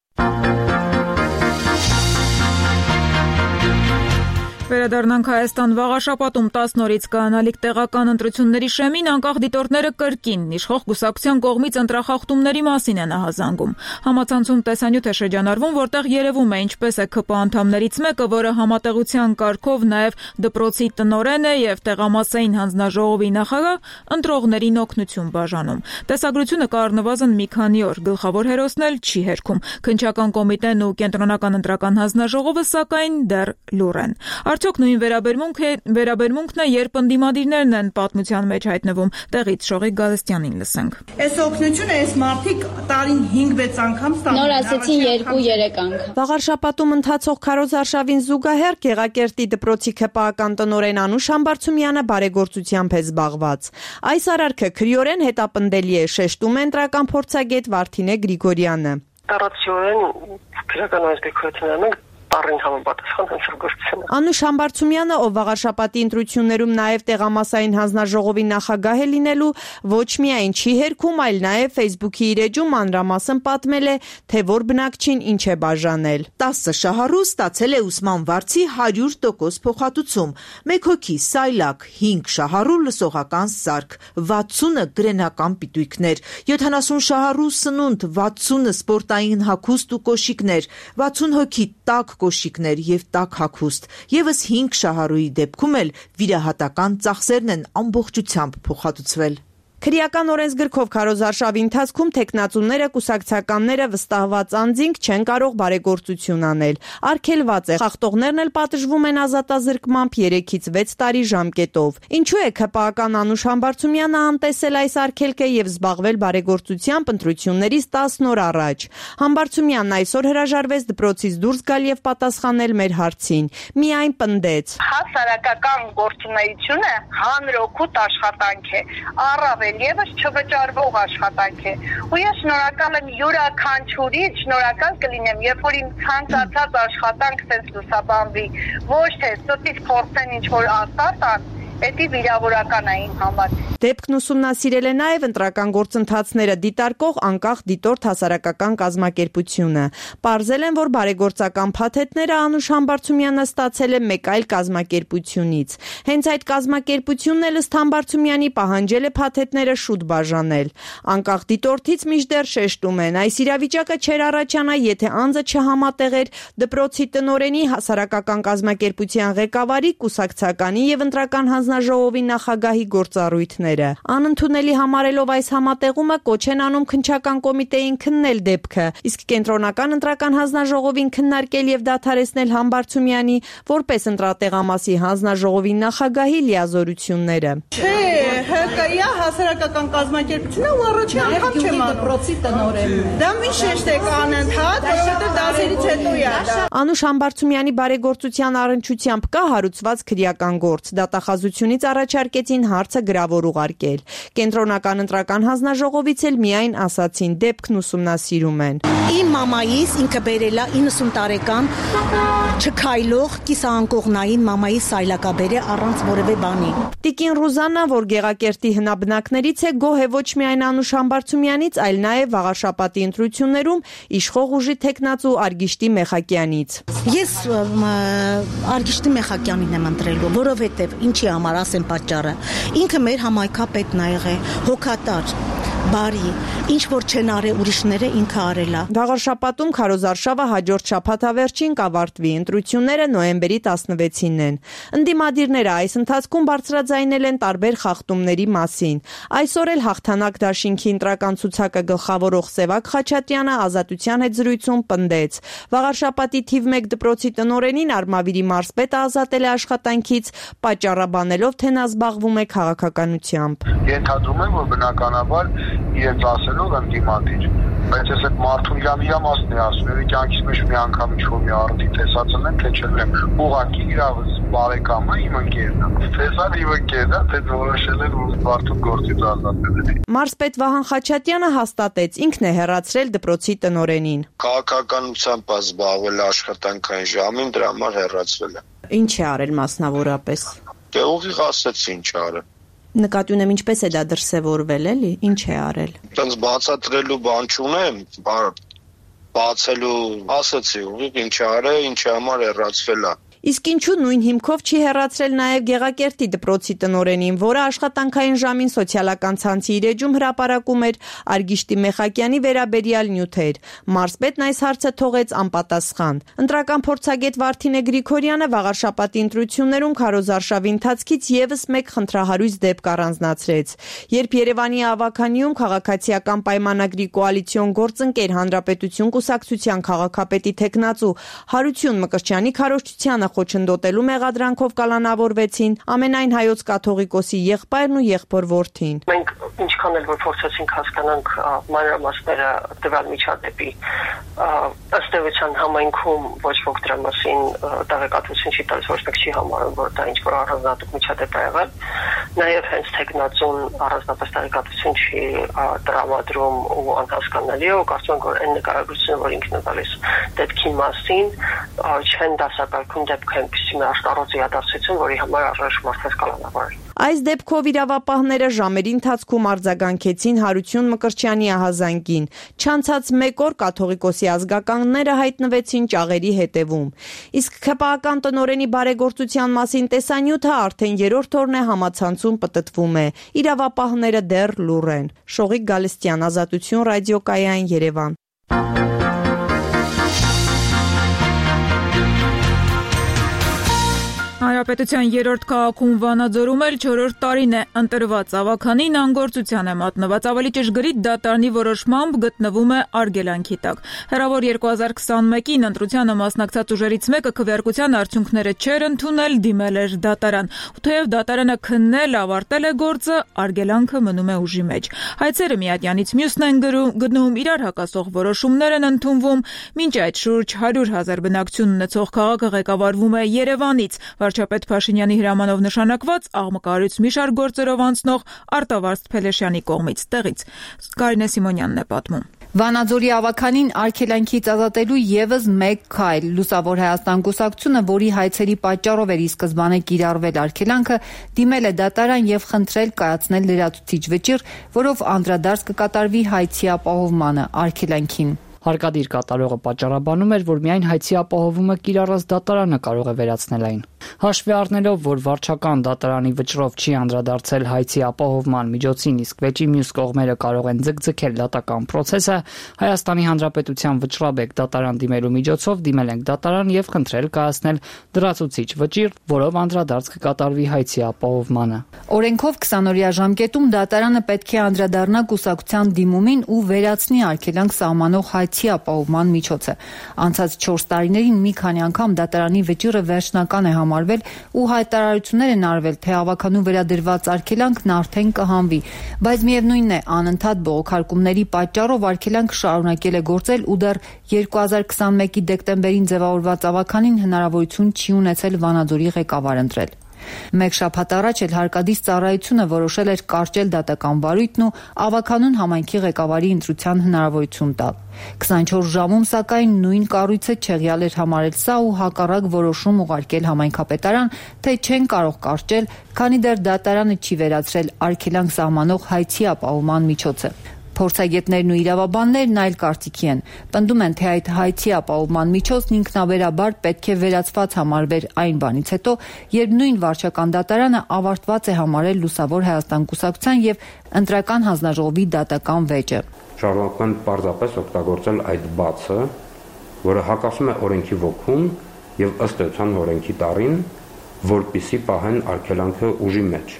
Վերադառնանք Հայաստան, վաղաշաբաթում տասը նորից կայանալիք տեղական ընտրությունների շեմին անկախ դիտորդները կրկին իշխող կուսակցության կողմից ընտրախախտումների մասին են ահազանգում։ Համացանցում տեսանյութ է շրջանառվում, որտեղ երևում է ինչպես է ՔՊ անդամներից մեկը, որը համատեղության կարգով նաև դպրոցի տնօրեն է եւ տեղամասային հանձնաժողովի նախագահ, ընտրողներին օգնություն բաժանում։ Տեսագրությունը կա առնվազն մի քանի օր, գլխավոր հերոսն էլ չի հերքում։ Քննչական կոմիտեն ու կենտրոնական ընտրական հանձնաժողովը սակայն դեռ լուռ են։ Արդյոք նույն վերաբերմունք է, վերաբերմունքն է, երբ ընդդիմադիրներն են պատմության մեջ հայտնվում։ Տեղից Շողիկ Գալստյանին լսենք։ Այս օգնությունը այս մարդիկ տարին հինգ-վեց անգամ ստանում։ Նոր ասեցին երկու-երեք անգամ։ Վաղարշապատում ընթացող քարոզարշավին զուգահեռ Գեղակերտի դպրոցի ՔՊ-ական տնօրեն Անուշ Համբարձումյանը բարեգործությամբ է զբաղված։ Այս արարքը քրեորեն հետապնդելի է, շեշտում է ընտրական փորձագետ Վարդինե Գրիգորյանը։ Տարածիորեն քրական այս դեկորացիան Տարին համապատասխան հանցագործությունը։ Անուշ Համբարձումյանը, ով վաղարշապատի ընտրություններում նաև տեղամասային հանձնաժողովի նախագահ է լինելու, ոչ միայն չի հերքում, այլ նաև Facebook-ի իր էջում մանրամասն պատմել է, թե որ բնակչին ինչ է բաժանել։ տասը շահառու ստացել է ուսման վարձի հարյուր տոկոս փոխհատուցում, մեկ հոգի սայլակ, հինգ շահառու լսողական սարք, վաթսունը գրենական պիտույքներ, յոթանասուն շահառու սնունդ, վաթսունը սպորտային հագուստ ու կոշիկներ, վաթսուն հոգի տաք կոշիկներ եւ տաք հագուստ, եւս հինգ շահառուի դեպքում էլ վիրահատական ծախսերն են ամբողջությամբ փոխհատուցվել։ Քրեական օրենսգրքով քարոզարշավի ընթացքում տեխնացուները, կուսակցականները, վստահված անձինք չեն կարող բարեգործություն անել։ Արգելված է, խախտողներն էլ պատժվում են ազատազրկմամբ երեքից վեց տարի ժամկետով։ Ինչու է ՔՊ-ական Անուշ Համբարձումյանը անտեսել այս արգելքը եւ զբաղվել բարեգործությամբ ընտրություններից տասը օր առաջ։ Համբարձումյանն այսօր հրաժարվեց դպրոցից դուրս գալ եւ պատասխանել մեր հարցին։ Միայն պնդեց. Հասարակական գործունեությունը հանրօգուտ աշխատանք է։ Առավել Եվս չվճարվող աշխատանք է։ Ու ես շնորհակալ եմ յուրաքանչյուրի, շնորհակալ կլինեմ, երբ որ իմ ցանկացած աշխատանք sense լուսաբանվի, ոչ թե ստից փորձեն ինչ որ ասած ան, դա վիրավորական է իմ համար։ Դեպքն ուսումնասիրել է նաև ընտրական գործընթացները դիտարկող անկախ դիտորդ հասարակական կազմակերպությունը։ Պարզել են, որ բարեգործական փաթեթները Անուշ Համբարձումյանը ստացել է մեկ այլ կազմակերպությունից։ Հենց այդ կազմակերպությունն էլ ըստ Համբարձումյանի պահանջել է փաթեթները շուտ բաժանել։ Անկախ դիտորդից մինչդեռ շեշտում են, այս իրավիճակը չէր առաջանա, եթե անձը չհամատեղեր դպրոցի տնօրենի, հասարակական կազմակերպության ղեկավարի, կուսակցականի եւ ընտրական հանձնաժողովի նախագահի գործառույթները։ Անընդունելի համարելով այս համատեղումը կոչ են անում քննչական կոմիտեին քննել դեպքը, իսկ կենտրոնական ընտրական հանձնաժողովին քննարկել եւ դադարեցնել Համբարձումյանի որպես ընտրատեղամասի հանձնաժողովի նախագահի լիազորությունները։ Չէ, ՀԿ-ի հասարակական կազմակերպությունը ու առաջին անգամ չեմ դպրոցի տնօրենն է։ Դա մի շեշտ է անընդհատ, որովհետեւ դասերից հետո է դա։ Անուշ Համբարձումյանի բարեգործության առնչությամբ կա հարուցված քրեական գործ։ Դատախազությունից առաջարկեցին հարցը գրավոր ուղարկել։ Կենտրոնական ընտրական հանձնաժողովից էլ միայն ասացին դեպքն ուսումնասիրում են։ Իմ մամայիս ինքը բերելա իննսուն տարեկան չքայլող կիսաանկողնային մամայի սայլակաբերը առանց որևէ բանի։ Տիկին Ռուզաննա, որ Գեղակերտի հնաբնակներից է, գոհ է ոչ միայն Անուշ Համբարձումյանից, այլ նաև վաղաշապատի ընտրություններում իշխող ուժի թեկնածու Արգիշտի Մեխակյանից։ Ես Արգիշտի Մեխակյանին եմ ընտրելու, որովհետև ինչի համար ասեմ պատճառը։ Ինքը մեր համայնքապետն ա եղել, հոգատար, բարի, ինչ որ չեն արել ուրիշները ինքը արել է։ Գաղարշապատում քարոզարշավը հաջորդ շաբաթավերջին կավարտվի, ընտրությունները նոյեմբերի տասնվեցինն են։ Ընդդիմադիրները այս ընթացքում բարձրաձայնել են տարբեր խախտումների մասին։ Այսօր էլ հաղթանակ դաշինքի ընտրական ցուցակը գլխավորող Սևակ Խաչատրյանը Ազատության հետ զրույցում պնդեց. Վաղարշապատի թիվ մեկ դպրոցի տնօրենին Արմավիրի մարզպետը ազատել է աշխատանքից, պատճառաբանելով, թե նա զբաղվում է քաղաքականությամբ։ Ենթադրում եմ, որ բնականաբար իրենց ասելով ընդդիմադիր, բայց ես այդ մարդուն իրան իրա մասն է ասում, եւ կյանքից մեջ մի անգամ ինչ-որ մի առիթ տեսածն եմ, թե չեմ ուղղակի իրավս բարեկամը իմ ընկերն է։ Տեսան իմ ընկերն է, թե որոշել են, որ մարդուն գործից ազատել են։ Մարզպետ Վահան Խաչատրյանը հաստատեց, ինքն է հեռացրել դպրոցի տնօրենին։ Քաղաքականությամբ զբաղվել աշխատանքային ժամին, դրա համար հեռացվել է։ Ինչ է արել մասնավորապես։ Դե ուղիղ ասեց ինչ արել։ Նկատի ունեմ ինչպես է դա դրսևորվել, էլի, ինչ է արել։ Տենց բացատրելու բան չունեմ, բացելու ասացի, ուղիղ ինչ արել, ինչի համար հեռացվել է։ Իսկ ինչու նույն հիմքով չի հեռացրել նաև Գեղակերտի դպրոցի տնօրենին, որը աշխատանքային ժամին սոցիալական ցանցի իր էջում հրապարակում էր Արգիշտի Մեխակյանի վերաբերյալ նյութեր։ Մարզպետն այս հարցը թողեց անպատասխան։ Ընտրական փորձագետ Վարդինե Գրիգորյանը վաղարշապատի ընտրություններում քարոզարշավի ընթացքից եւս մեկ խնդրահարույց դեպք առանձնացրեց։ Երբ Երևանի ավականիում քաղաքացիական պայմանագրի կոալիցիոն գործընկեր Հանրապետություն կուսակցության քաղաքապետի տեխնացու Հարություն Մկրտչյանի քարոզչությանը խոչընդոտելու մեղադրանքով կալանավորվեցին ամենայն հայոց կաթողիկոսի եղբայրն ու եղբոր որդին։ Մենք ինչքան էլ որ փորձեցինք հասկանանք մանրամասները տվյալ միջադեպի, ըստ էության համայնքում ոչ ոք դրա մասին տեղեկատվություն չի տալիս, ոչ մեկ չի համարում, որ դա ինչ-որ առանձնահատուկ միջադեպ է եղել։ Նաև հենց տեխնացուն առանձնապես տեղեկատվություն չի տրամադրում ու անհասկանալի է, ու կարծում եմ, որ այն նկարագրությունը, որ ինքն է տալիս դեպքի մասին, չեն դասակարգում դեպքը այնպիսի մի աշտարոց իրադարձություն, որի համար առայժմ մարդկանց կալանավորել։ Այս դեպքով իրավապահները ժամերի ընթացքում արձագանքեցին Հարություն Մկրտչյանի ահազանգին։ Չանցած մեկ օր կաթողիկոսի ազգականները հայտնվեցին ճաղերի հետևում։ Իսկ ՔՊԱ-ական տնօրենի բարեգործության մասին տեսանյութը արդեն երրորդ օրն է համացանցում պտտվում է։ Իրավապահները դեռ լուռ են։ Շողիկ Գալստյան, Ազատություն, ռադիոկայան, Երևան։ Հանրապետության երրորդ քաղաքում Վանաձորում էլ չորրորդ տարին է ընտրված ավականին անգործության է մատնված, ավելի ճշգրիտ դատարանի որոշմամբ գտնվում է արգելանքի տակ։ Հեռավոր երկու հազար քսանմեկին ընտրությանը մասնակցած ուժերից մեկը քվեարկության արդյունքները չէր ընդունել, դիմել էր դատարան։ Ու թեև դատարանը քննել, ավարտել է գործը, արգելանքը մնում է ուժի մեջ։ Հայցերը միատյանից մյուսն են գնում, իրար հակասող որոշումներ են ընդունվում, մինչ այդ շուրջ հարյուր հազար բնակչություն ունեցող քաղաքը ղեկավարվում է Երևանից։ Վարչապետ Փաշինյանի հրամանով նշանակված աղմկարից մի շարք գործերով անցնող Արտավազդ Փելեշյանի կողմից տեղից Կարինե Սիմոնյանն է պատմում։ Վանաձորի ավականին արգելանքից ազատելու եւս մեկ քայլ։ Լուսավոր Հայաստան կուսակցությունը, որի հայցերի պատճառով էր ի սկզբանե կիրառվել արգելանքը, դիմել է դատարան եւ խնդրել կայացնել լրացուցիչ վճիռ, որով անդրադարձ կկատարվի հայցի ապահովմանը արգելանքին։ Հարկադիր կատարողը պատճառաբանում էր, որ միայն հայցի ապահովումը կիրառած դատարանը կարող է վերացնել այն։ Հաշվի առնելով, որ վարչական դատարանի վճռով չի անդրադարձել հայցի ապահովման միջոցին, իսկ վեճի մյուս կողմերը կարող են ձգձգել դատական process-ը, Հայաստանի Հանրապետության վճռաբեկ դատարան դիմելու միջոցով դիմել ենք դատարան եւ խնդրել կայացնել լրացուցիչ վճիռ, որով անդրադարձ կկատարվի հայցի ապահովմանը։ Օրենքով քսանօրյա ժամկետում դատարանը պետք է անդրադառնա կուսակցության դիմումին ու վերացնի արգելանք սահմանող հայցի ապահովման միջոցը։ Անցած չորս տարիներին մի քանի անգամ դատարանի վճիռը վերջնական է համարվել ու հայտարարություններ են արվել, թե ավականու վերադրված արգելանքն արդեն կհանվի, բայց միևնույնն է, անընդհատ բողոքարկումների պատճառով արգելանքը շարունակել է գործել ու դեռ երկու հազար քսանմեկի դեկտեմբերին ձևավորված ավականին հնարավորություն չի ունեցել Վանաձորի ղեկավար ընտրել։ Մեկ շաբաթ առաջ էլ հարկադիր ծառայությունը որոշել էր կարճել դատական վարույթն ու ավականուն համայնքի ղեկավարի ընտրության հնարավորություն տալ։ քսանչորս ժամում սակայն նույն կառույցը չեղյալ էր համարել սա ու հակառակ որոշում ուղարկել համայնքապետարան, թե չեն կարող կարճել, քանի դեռ դատարանը չի վերացրել արգելանք սահմանող հայցի ապահովման միջոցը։ Փորձագետներն ու իրավաբաններն այլ կարծիքի են։ Պնդում են, թե այդ հայցի ապահովման միջոցն ինքնաբերաբար պետք է վերացված համարվեր այն բանից հետո, երբ նույն վարչական դատարանը ավարտված է համարել Լուսավոր Հայաստան կուսակցության եւ ընտրական հանձնաժողովի դատական վեճը։ Շարունակում են պարզապես օգտագործել այդ բացը, որը հակասում է օրենքի ոգուն եւ ըստ էության օրենքի տարին, որպիսի պահեն արգելանքը ուժի մեջ։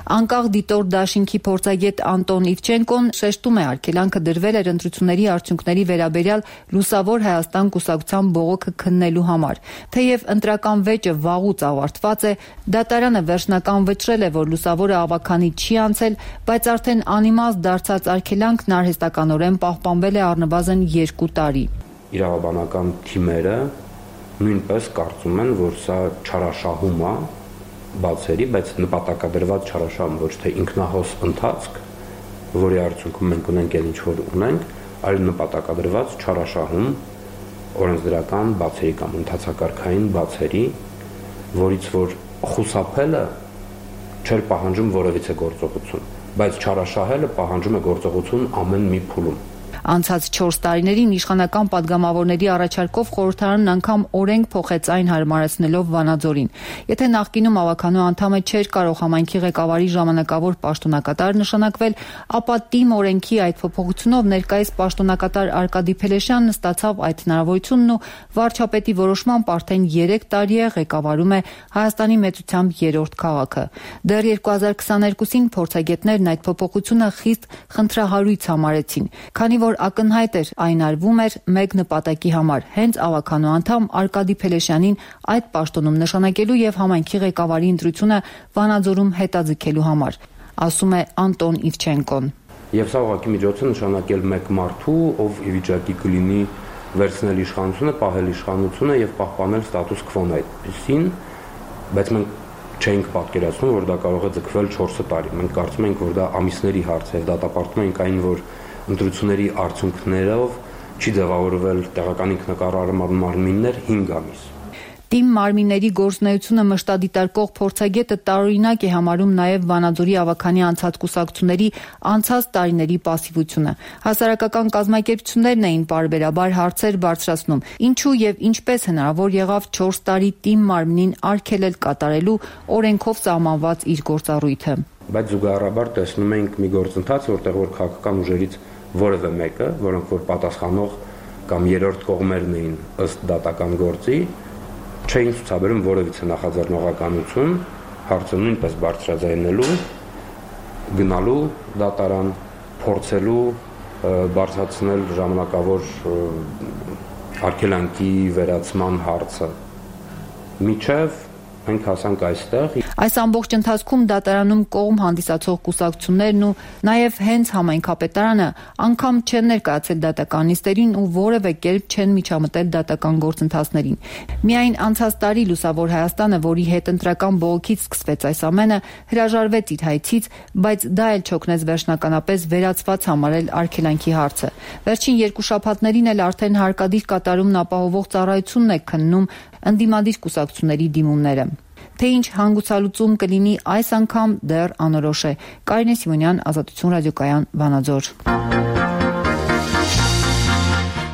Անկախ դիտոր դաշինքի փորձագետ Անտոն Իվչենկոն շեշտում է, արգելանքը դրվել էր ընտրությունների արդյունքների վերաբերյալ Լուսավոր Հայաստան կուսակցության բողոքը քննելու համար։ Թեև ընտրական վեճը վաղուց ավարտված է, դատարանը վերջնական վճռել է, որ Լուսավորը ավաքանի չի անցել, բայց արդեն անիմաստ դարձած արգելանքն արհեստականորեն պահպանվել է առնվազն երկու տարի։ Իրավաբանական թիմերը նույնպես կարծում են, որ սա չարաշահում է բացերի, բայց նպատակադրված չարաշահում, ոչ թե ինքնահոս ընթացք, որի արդյունքում մենք ունենք այն ինչ որ ունենք, այլ նպատակադրված չարաշահում օրենսդրական բացերի կամ ընթացակարգային բացերի, որից որ խուսափելը չէր պահանջում որևիցե գործողություն, բայց չարաշահելը պահանջում է գործողություն ամեն մի փուլում։ Անցած չորս տարիներին իշխանական падգամավորների առաջարկով խորհրդարանն անգամ օրենք փոխեց այն հարմարեցնելով Վանաձորին։ Եթե նախկինում ավականու անդամը չէր կարող համայնքի ղեկավարի ժամանակավոր պաշտոնակատար նշանակվել, ապա ՏԻՄ օրենքի այդ փոփոխությունով ներկայիս պաշտոնակատար Արկադի Փելեշյանն ստացավ այդ հնարավորությունն ու վարչապետի որոշմամբ արդեն երեք տարի է ղեկավարում է Հայաստանի մեծությամբ երրորդ քաղաքը։ Դեռ երկու հազար քսաներկուսին փորձագետներն այդ փոփոխությունը խիստ խնդրահարույց համարեցին, քանի որ ակնհայտ էր այն արվում էր մեկ նպատակի համար՝ հենց ավականու անդամ Արկադի Փելեշյանին այդ պաշտոնում նշանակելու եւ համայնքի ղեկավարի ընտրությունը Վանաձորում հետաձգելու համար, ասում է Անտոն Իվչենկոն։ Եվ սա ուղղակի միջոց է նշանակել մեկ մարդու, ով ի վիճակի կլինի վերցնել իշխանությունը, պահել իշխանությունը եւ պահպանել ստատուս քվոն այդպիսին, բայց մենք չենք պատկերացնում, որ դա կարող է ձգվել չորս տարի։ Մենք կարծում ենք, որ դա ամիսների հարց է, դատապարտում ենք այն, որ ընտրությունների արդյունքներով չի ձևավորվել տեղական ինքնակառավարման մարմիններ հինգ ամիս։ ՏԻՄ մարմինների գործունեությունը մշտադիտարկող փորձագետը տարօրինակ է համարում նաև Վանաձորի ավաքանի անցած կուսակցությունների անցած տարիների պասիվությունը։ Հասարակական կազմակերպություններն էին պարբերաբար հարցեր բարձրացնում, ինչու եւ ինչպես հնարավոր եղավ չորս տարի ՏԻՄ մարմնին արգելել կատարելու օրենքով սահմանված իր գործառույթը։ Բայց զուգահեռաբար տեսնում ենք մի գործընթաց, որտեղ որ քաղաքական ուժերից որևէ մեկը, որոնք որ պատասխանող կամ երրորդ կողմերն էին ըստ դատական գործի, չէին ցուցաբերում որևիցե նախաձեռնողականություն, հարցը նույնպես բարձրաձայնելու, գնալու դատարան, փորձելու բարձրացնել ժամանակավոր արգելանքի վերացման հարցը։ Միջև մենք հասանք այստեղ։ Այս ամբողջ ընթացքում դատարանում կողմ հանդիսացող կուսակցություններն ու նաև հենց համայնքապետարանը անգամ չեն ներկայացել դատական նիստերին ու որևէ կերպ չեն միջամտել դատական գործընթացներին։ Միայն անցած տարի Լուսավոր Հայաստանը, որի հետ ընտրական բողոքից սկսվեց այս ամենը, հրաժարվեց իր հայցից, բայց դա էլ չօգնեց վերջնականապես վերացված համարել արգելանքի հարցը։ Վերջին երկու շաբաթներին էլ արդեն հարկադիր կատարումն ապահովող ծառայությունն է քննում ընդդիմադիր կուսակցությունների դիմումները։ Թե ինչ հանգուցալուծում կլինի այս անգամ դեռ անորոշ է։ Կարինե Սիմոնյան, Ազատություն ռադիոկայան, Վանաձոր։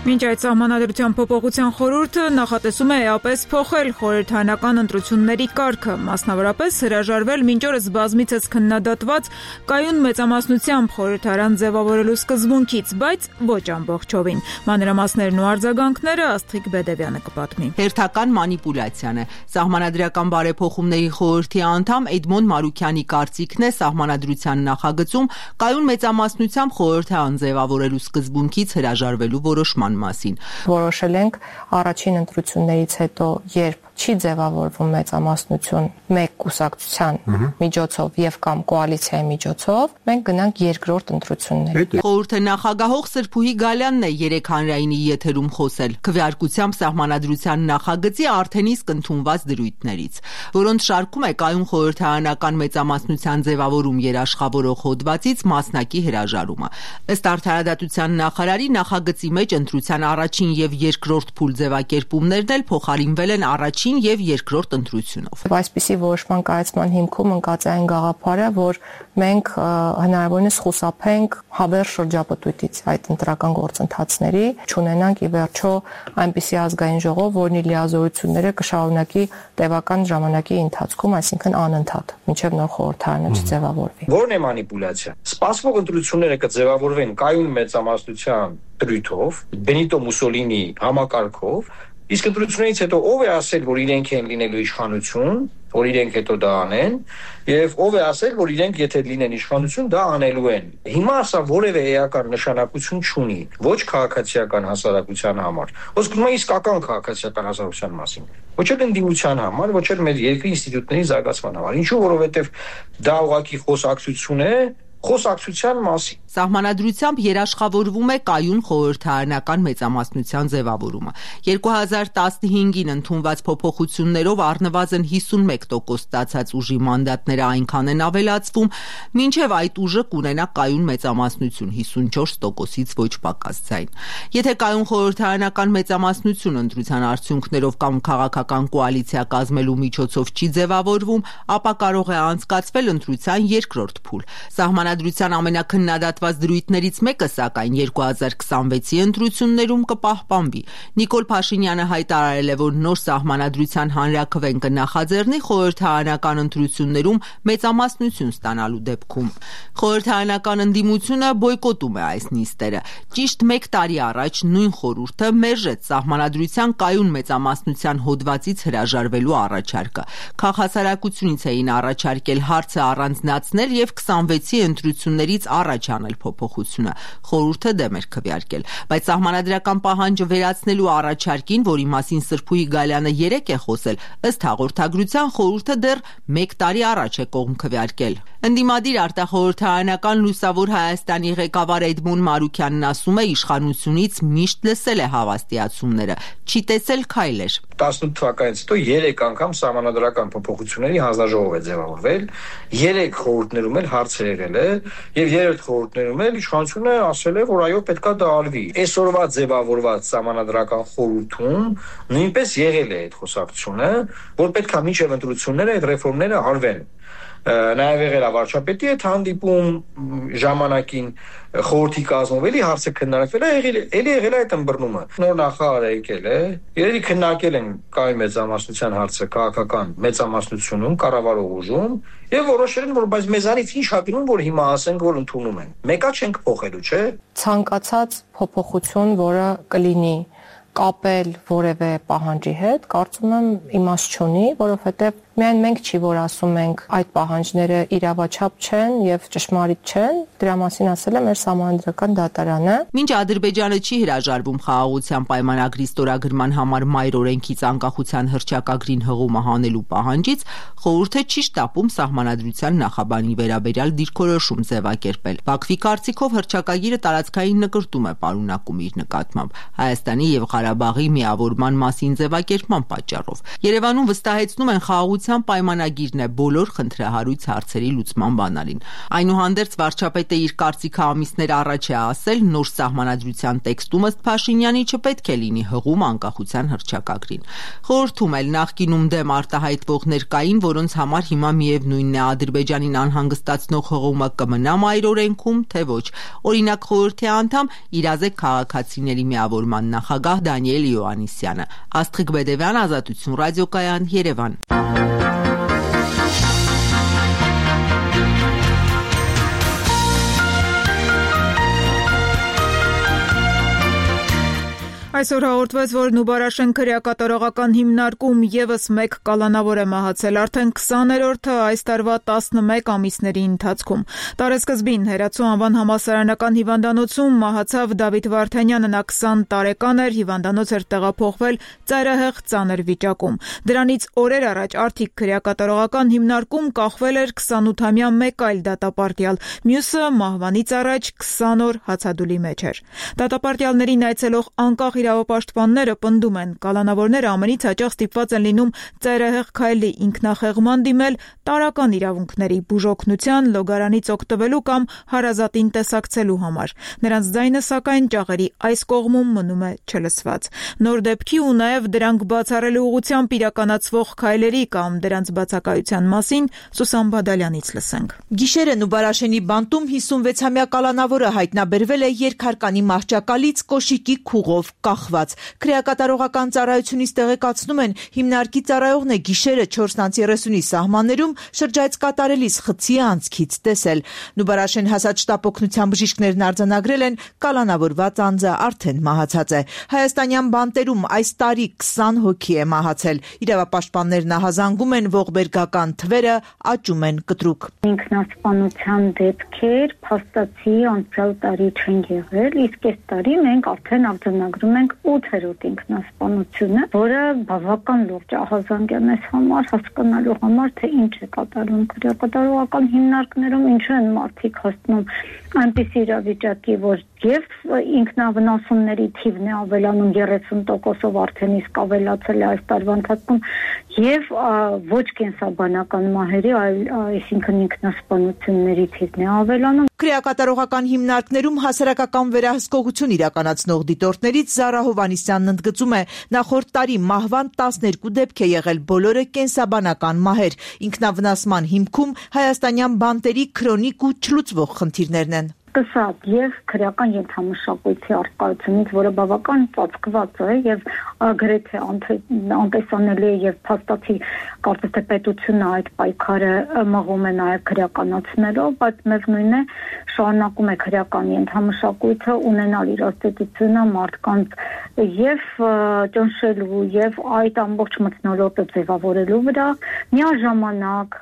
Մինչ այդ սահմանադրության փոփոխության խորհուրդը նախատեսում է էապես փոխել խորհրդարանական ընտրությունների կարգը, մասնավորապես հրաժարվել մինչ օրս բազմիցս քննադատված կայուն մեծամասնությամբ խորհրդարան ձևավորելու սկզբունքից, բայց ոչ ամբողջովին։ Մանրամասներն ու արձագանքները Աստղիկ Բեդևյանը կպատմի։ Հերթական մանիպուլյացիան է։ Սահմանադրական բարեփոխումների խորհրդի անդամ Էդմոն Մարուքյանի կարծիքն է սահմանադրության նախագծում կայուն մեծամասնությամբ խորհրդարան ձևավորելու սկզբունքից հրաժարվելու որոշման մասին։ Որոշել ենք առաջին ընտրություններից հետո, երբ չի ձևավորվում մեծամասնություն մեկ կուսակցության միջոցով եւ կամ կոալիցիայի միջոցով, մենք գնանք երկրորդ ընտրությունների։ Խորհրդի նախագահող Սրփուհի Գալյանն է երեք հանրայինի եթերում խոսել քվեարկությամբ սահմանադրության նախագծի արդեն իսկ ընդունված դրույթներից, որոնց շարքում է կայուն խորհրդարանական մեծամասնության ձևավորում երաշխավորող հոդվածից մասնակի հրաժարումը։ Ըստ արդարադատության նախարարի նախագծի մեջ ընտրության առաջին եւ երկրորդ փուլ ձևակերպումներն էլ փոխարինվել են առաջին առաջին եւ երկրորդ ընտրությունով։ Այսպիսի որոշման կայացման հիմքում ընկած է այն գաղափարը, որ մենք հնարավորինս խուսափենք հավերժ շրջապտույտից այդ ընտրական գործընթացների, չունենանք ի վերջո այնպիսի ազգային ժողով, որն իր լիազորությունները կշարունակի տևական ժամանակի ընթացքում, այսինքն անընդհատ, մինչև նոր խորհրդարանը չձևավորվի։ Որն է մանիպուլյացիա։ Սպասվող ընտրությունները կձևավորվեն կայուն մեծամասնության դրույթով, Բենիտո Մուսոլինի համակարգով, իսկ ընտրություններից հետո ով է ասել, որ իրենք են լինելու իշխանություն, որ իրենք հետո դա անեն, եւ ով է ասել, որ իրենք եթե լինեն իշխանություն, դա անելու են։ Հիմա սա որևէ էական նշանակություն չունի, ոչ քաղաքացիական հասարակության համար, ոչ կոմա իսկական քաղաքացիական հասարակության մասին, ոչ էլ ընդդիմության համար, ոչ էլ մեր երկրի ինստիտուտների զարգացման համար։ Ինչու, որովհետեւ դա ուղղակի խոսակցություն է խոսակցության մասին։ Սահմանադրությամբ երաշխավորվում է կայուն խորհրդարանական մեծամասնության ձևավորումը։ երկու հազար տասնհինգին ընդունված փոփոխություններով առնվազն հիսունմեկ տոկոս ստացած ուժի մանդատները այնքան են ավելացվում, մինչև այդ ուժը կունենա կայուն մեծամասնություն հիսունչորս տոկոսից ոչ պակաս ձայն։ Եթե կայուն խորհրդարանական մեծամասնություն ընտրության արդյունքներով կամ քաղաքական կոալիցիա կազմելու միջոցով չի ձևավորվում, ապա կարող է անցկացվել ընտրության երկրորդ փուլ։ Սահմանադրության ամենակննադատված դրույթներից մեկը, սակայն երկու հազար քսանվեցի ընտրություններում կպահպանվի։ Նիկոլ Փաշինյանը հայտարարել է, որ նոր սահմանադրության հանրաքվեն կնախաձեռնի խորհրդարանական ընտրություններում մեծամասնություն ստանալու դեպքում։ Խորհրդարանական ընդդիմությունը բոյկոտում է այս նիստերը։ Ճիշտ մեկ տարի առաջ նույն խորհուրդը մերժեց սահմանադրության կայուն մեծամասնության հոդվածից հրաժարվելու առաջարկը։ Քաղաքասարակությունից էին առաջարկել հարցը առանձնացնել եւ քսանվեցի ընտրություններից առաջ անել փոփոխությունը։ Խորհուրդը դեմ էր քվեարկել, բայց սահմանադրական պահանջը վերացնելու առաջարկին, որի մասին Սրփուհի Գալյանը երեկ է խոսել, ըստ հաղորդագրության խորհուրդը դեռ մեկ տարի առաջ է կողմ քվեարկել։ Ընդդիմադիր արտախորհրդարանական Լուսավոր Հայաստանի ղեկավար Էդմոն Մարուքյանն ասում է, իշխանությունից միշտ լսել է հավաստիացումները, չի տեսել քայլեր։ տասնութ թվականից հետո երեք անգամ սահմանադրական փոփոխությունների հանձնաժողով է ձևավորվել, երեք խորհուրդներում էլ հարց է եղել է, եւ երրորդ խորհուրդներում էլ իշխանությունը ասել է, որ այո, պետքա դա արվի։ Այսօրվա ձևավորված սահմանադրական խորհուրդում նույնպես եղել է այդ խոսակցությունը, որ պետքա մինչև ընտրությունները այդ ռեֆորմները արվեն։ Նաև եղել է վարչապետի հետ հանդիպում ժամանակին խորհրդի կազմով, էլի հարցը քննարկվել է, էլի եղել է այդ ըմբռնումը։ Նոր նախարարը եկել է, երևի քննարկել են կայուն մեծամասնության հարցը քաղաքական մեծամասնությունում, կառավարող ուժում, եւ որոշել են, որ բայց մեզանից ինչ հագնում, որ հիմա ասենք, որ ընդունում են։ Մեկա չենք փոխելու, չէ՞։ Ցանկացած փոփոխություն, որը կլինի կապել որևէ պահանջի հետ, կարծում եմ իմաստ չունի, որովհետև միայն մենք չի, որ ասում ենք այդ պահանջները իրավաչափ չեն եւ ճշմարիտ չեն, դրա մասին ասել է մեր սահմանադրական դատարանը։ Մինչ Ադրբեջանը չի հրաժարվում խաղաղության պայմանագրի ստորագրման համար մայր օրենքից անկախության հռչակագրին հղումը հանելու պահանջից, խորհուրդը չի շտապում սահմանադրության նախաբանի վերաբերյալ դիրքորոշում ձևակերպել։ Բաքվի կարծիքով հռչակագիրը տարածքային նկրտում է պարունակում իր նկատմամբ Հայաստանի եւ Ղարաբաղի միավորման մասին ձևակերպման պատճառով։ Երևանում վստահեցնում են խաղաղության պայմանագիրն է բոլոր խնդրահարույց հարցերի լուծման բանալին։ Այնուհանդերձ վարչապետը իր կարծիքը ամիսներ առաջ է ասել, նոր սահմանադրության տեքստում ըստ Փաշինյանի չպետք է լինի հղում անկախության հռչակագրին։ Խորհրդում էլ նախկինում դեմ արտահայտվողներ կային, որոնց համար հիմա միևնույնն է Ադրբեջանին անհանգստացնող հղումը կմնա մայր օրենքում, թե ոչ։ Օրինակ խորհրդի անդամ իրազեկ քաղաքացիների միավորման նախագահ Դանիել Իոաննիսյանը։ Աստղիկ Բեդևյան, Ազատություն ռադիոկայան, Երևան։ Այսօր հաղորդվեց, որ Նուբարաշեն քրեակատարողական հիմնարկում եւս մեկ կալանավոր է մահացել արդեն քսաներորդը այս տարվա տասնմեկ ամիսների ընթացքում։ Տարեսկզբին Հերացու անվան համալսարանական հիվանդանոցում մահացավ Դավիթ Վարդանյանը, նա քսան տարեկան էր, հիվանդանոց էր տեղափոխվել ծայրահեղ ծանր վիճակում։ Դրանից օրեր առաջ Արթիկ քրեակատարողական հիմնարկում կախվել էր քսանութամյա մեկ այլ դատապարտյալ, մյուսը մահվանից առաջ քսան օր հացադուլի մեջ էր։ Դատապարտյալներին այցելող անկախ իրավապաշտպանները պնդում են, կալանավորները ամենից հաճախ ստիպված են լինում ծայրահեղ քայլի, ինքնախեղման դիմել, տարրական իրավունքների, բուժօգնության, լոգարանից օգտվելու կամ հարազատին տեսակցելու համար։ Նրանց ձայնը սակայն ճաղերի այս կողմում մնում է չլսված։ Նոր դեպքի ու նաև դրանք բացառելու ուղղությամբ իրականացվող քայլերի կամ դրանց բացակայության մասին Սուսան Բադալյանից լսենք։ Գիշերը Նուբարաշենի բանտում հիսունվեցամյա կալանավորը հայտնաբերվել է երկհարկանի մահճակալից կոշիկի քուղով կախված։ Քրեակատարողական ծառայությունից տեղեկացնում են, հիմնարկի ծառայողն է գիշերը չորս երեսունի սահմաններում շրջայց կատարելիս խցի անցքից տեսել։ Նուբարաշեն հասած շտապօգնության բժիշկներն արձանագրել են, կալանավորված անձը արդեն մահացած է։ Հայաստանյան բանտերում այս տարի քսան հոգի է մահացել։ Իրավապաշտպաններն ահազանգում են, ողբերգական թվերը աճում են կտրուկ։ Ինքնասպանության դեպքեր փաստացի անցյալ տարի չեն եղել, իսկ այս տարի մենք արդեն արձանագրում ենք ութերորդ ինքնասպանությունը, որը բավական լուրջ ահազանգ է մեզ համար հասկանալու համար, թե ինչ է կատարվում քրեակատարողական հիմնարկներում, ինչու են մարդիկ հասնում այնպիսի իրավիճակի, որ եւ ինքնավնասումների թիվն է ավելանում երեսուն տոկոսով արդեն իսկ ավելացել է այս տարվա ընթացքում եւ ոչ կենսաբանական մահերի, այլ այսինքն ինքնասպանությունների թիվն է ավելանում։ Քրեակատարողական հիմնարկներում հասարակական վերահսկողություն իրականացնող դիտորդներից Զարա Հովանիսյանն ընդգծում է, նախորդ տարի մահվան տասներկու դեպք է եղել, բոլորը կենսաբանական մահեր։ Ինքնավնասման հիմքում հայաստանյան բանտերի քրոնիկ ու չլուծվող խնդիրներն են։ Սկսած եւ քրեական ենթամշակույթի արկայությունից, որը բավական ծածկված է եւ գրեթե անտեսանելի է եւ փաստացի կարծես թե պետությունը այդ պայքարը մղում է նաեւ քրեականացնելով, բայց միևնույն է շարունակում է քրեական ենթամշակույթը ունենալ իր աստեցությունը մարդկանց եւ ճնշելու եւ այդ ամբողջ մթնոլորտը ձևավորելու վրա, միաժամանակ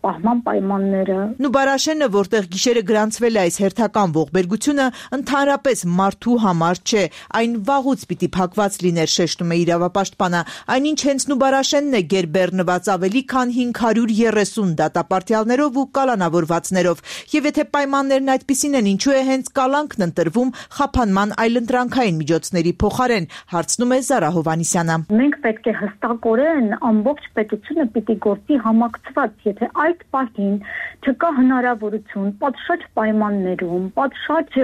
պահման պայմանները։ Նուբարաշենը, որտեղ գիշերը գրանցվել է այս հերթական ողբերգությունը, ընդհանրապես մարդու համար չէ, այն վաղուց պիտի փակված լիներ, շեշտում է իրավապաշտպանը, այնինչ հենց Նուբարաշենն է գերբեռնված ավելի քան հինգ հարյուր երեսուն դատապարտյալներով ու կալանավորվածներով, եւ եթե պայմաններն այդպիսին են, ինչու է հենց կալանքն ընտրվում խափանման այլընտրանքային միջոցների փոխարեն, հարցնում է Զարա Հովանիսյանը։ Մենք պետք է հստակորեն ամբողջ պետությունը պիտի գործի համակցված, եթե այդ պահին չկա հնարավորություն պատշաճ պայմաններում, պատշաճ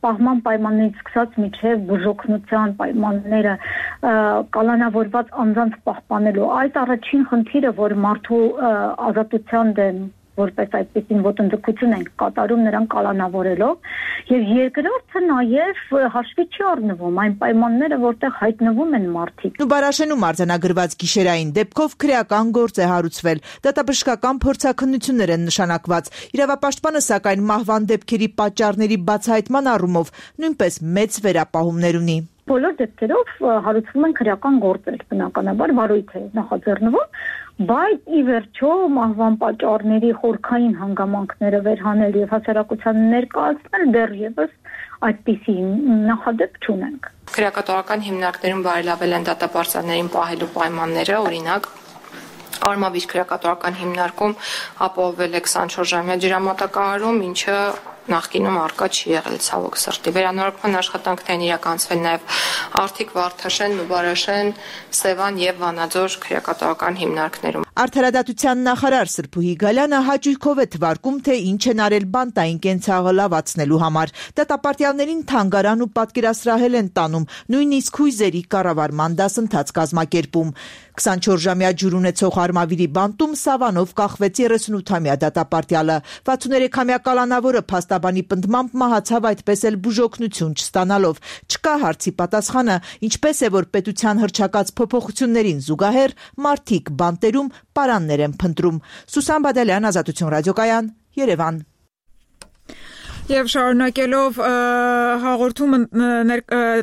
պահման պայմաններից սկսած մինչև բուժօգնության պայմանները կալանավորված անձանց պահպանելու, այդ առաջին խնդիրը, որ մարդու ազատության դեմ որպես այդպեսին ոտնձգություն ենք կատարում նրան կալանավորելով, եւ երկրորդը նաեւ հաշվի չի առնվում այն պայմանները, որտեղ հայտնվում են մարդիկ։ Նուբարաշենում արձանագրված գիշերային դեպքով քրեական գործ է հարուցվել, դատաբժշկական փորձաքննություններ են նշանակված։ Իրավապաշտպանը սակայն մահվան դեպքերի պատճառների բացահայտման առումով նույնպես մեծ վերապահումներ ունի։ Բոլոր դեպքերով հարուցվում են քրեական գործեր, բնականաբար վարույթ է նախաձեռնվում, բայց ի վերջո մահվան պատճառների խորքային հանգամանքները վերհանել եւ հասարակության ներկայացնել դեռևս այդպիսի նախադեպ չունենք։ Քրեակատարական հիմնարկներում բարելավել են դատապարտյալներին պահելու պայմանները, օրինակ Արմավիր քրեակատարական հիմնարկում ապահովել է քսանչորս ժամյա ջրամատակարարում, ինչը նախկինում արկա չի եղել ցավոք սրտի։ Վերանորոգման աշխատանքներն իրականացվել նաև Արթիկ, Վարդաշեն, Նուբարաշեն, Սևան եւ Վանաձոր քրեակատարական հիմնարկներում։ Արդարադատության նախարար Սրփուհի Գալյանը հաճույքով է թվարկում, թե ինչ են արել բանտային կենցաղը լավացնելու համար։ Դատապարտյալներին թանգարան ու պատկերասրահել են տանում, նույնիսկ հույզերի կառավարման դասընթաց կազմակերպում։ քսանչորս ժամյա ջուր ունեցող Արմավիրի բանտում Սավանով կախվեց երեսունութամյա դատապարտյալը։ վաթսուներեքամյա կալանավորը փաստաբանի պնդմամբ մահացավ այդպես էլ բուժօգնություն չստանալով։ Չկա հարցի պատասխանը, ինչպես է, որ պետության հռչակած փոփոխություններին զուգահեռ մարդիկ բանտերում պարաններ են փնտրում։ Սուսան Բադալյան, Ազատություն ռադիոկայան, Երևան։ Եվ շարունակելով հաղորդումը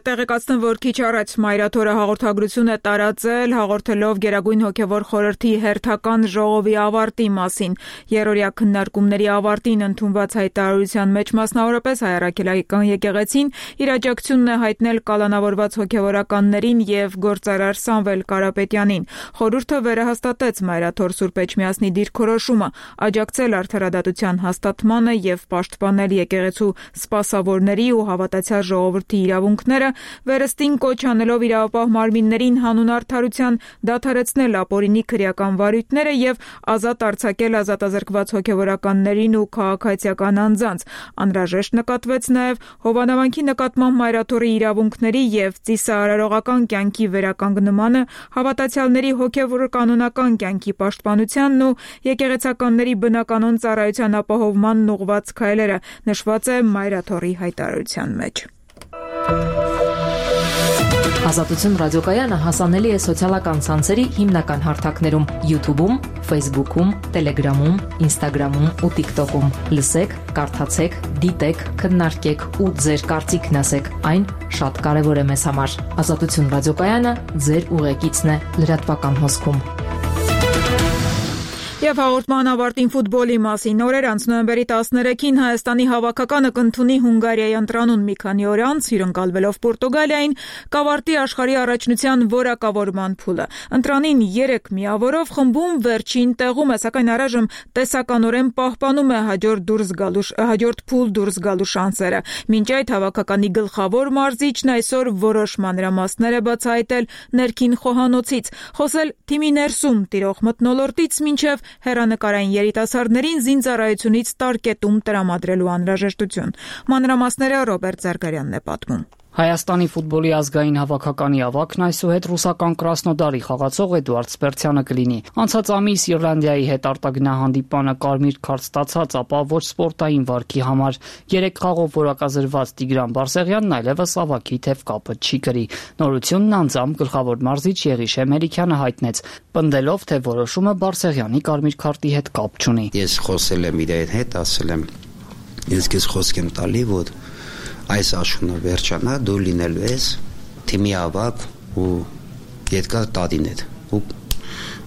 տեղեկացնեմ, որ քիչ առաջ Մայրաթորը հաղորդագրություն է տարածել, հաղորդելով Գերագույն հոգևոր խորհրդի հերթական ժողովի ավարտի մասին։ Երրորդյա քննարկումների ավարտին ընդունված հայտարարության մեջ մասնավորապես Հայ Առաքելական եկեղեցին իր աջակցությունն է հայտնել կալանավորված հոգևորականներին եւ գործարար Սամվել Կարապետյանին։ Խորհուրդը վերահաստատեց Մայրաթոր Սուրբ Էջմիածնի դիրքորոշումը աջակցել արդարադատության հաստատմանը եւ պաշտպանել եկեղեցու սպասավորների ու հավատացյալ ժողովրդի իրավունքները, վերստին կոչ անելով իրավապահ մարմիններին հանուն արդարության դադարեցնել ապօրինի քրեական վարույթները եւ ազատ արձակել ազատազրկված հոգեվորականներին ու քաղաքացիական անձանց։ Անհրաժեշտ նկատվեց նաեւ Հովանավանքի նկատմամբ մայրաթոռի իրավունքների եւ ծիսարարողական կյանքի վերականգնմանը, հավատացյալների հոգեվոր կանոնական կյանքի պաշտպանությանն ու եկեղեցականների բնականոն ծառայության ապահովմանն ուղղված քայլերը, նշված է մայրաթոռի հայտարարության մեջ։ Ազատություն ռադիոկայանը հասանելի է սոցիալական ցանցերի հիմնական հարթակներում՝ YouTube-ում, Facebook-ում, Telegram-ում, Instagram-ում ու TikTok-ում։ Լսեք, կարդացեք, դիտեք, քննարկեք ու ձեր կարծիքն ասեք։ Այն շատ կարևոր է մեզ համար։ Ազատություն ռադիոկայանը ձեր ուղեկիցն է լրատվական հոսքում։ Եվ հաղորդման ավարտին ֆուտբոլի մասին։ Օրեր անց նոյեմբերի տասներեքին Հայաստանի հավաքականը կընդունի Հունգարիայի ընտրանուն մի քանի օր անց, հյուրընկալվելով Պորտուգալիային, կավարտի աշխարհի առաջնության որակավորման փուլը։ Ընտրանին երեք միավորով խմբում վերջին տեղում է, սակայն առայժմ տեսականորեն պահպանում է հաջորդ դուրս գալու հաջորդ փուլ դուրս գալու շանսերը։ Մինչ այդ հավաքականի գլխավոր մարզիչն այսօր որոշ մանրամասներ է բացահայտել ներքին խոհանոցից, խոսել թիմի ներսում տիրող մթնոլորտից մինչև հեռանկարային երիտասարդներին զինծառայությունից տարկետում տրամադրելու անհրաժեշտություն։ Մանրամասները Ռոբերտ Զարգարյանն է պատմում։ Հայաստանի ֆուտբոլի ազգային հավաքականի ավակն այսուհետ ռուսական Կրասնոդարի խաղացող Էդուարդ Սպերցյանը կլինի։ Անցած ամիս Իռլանդիայի հետ արտագնահանդիպանը կարմիր քարտ ստացած, ապա ոչ սպորտային վարքի համար երեք խաղով որակազրված Տիգրան Բարսեղյանն այլևս ավակի թև կապը չի կրի։ Նորությունն անձամբ գլխավոր մարզիչ Եղիշե Մելիքյանը հայտնեց, պնդելով, թե որոշումը Բարսեղյանի կարմիր քարտի հետ կապ չունի։ Ես խոսել եմ իր հետ, ասել եմ, ես քեզ խոսք եմ տալի, որ այս աշունը վերջանա, դու լինելու ես թիմի ավակ ու երկար տադիներ ու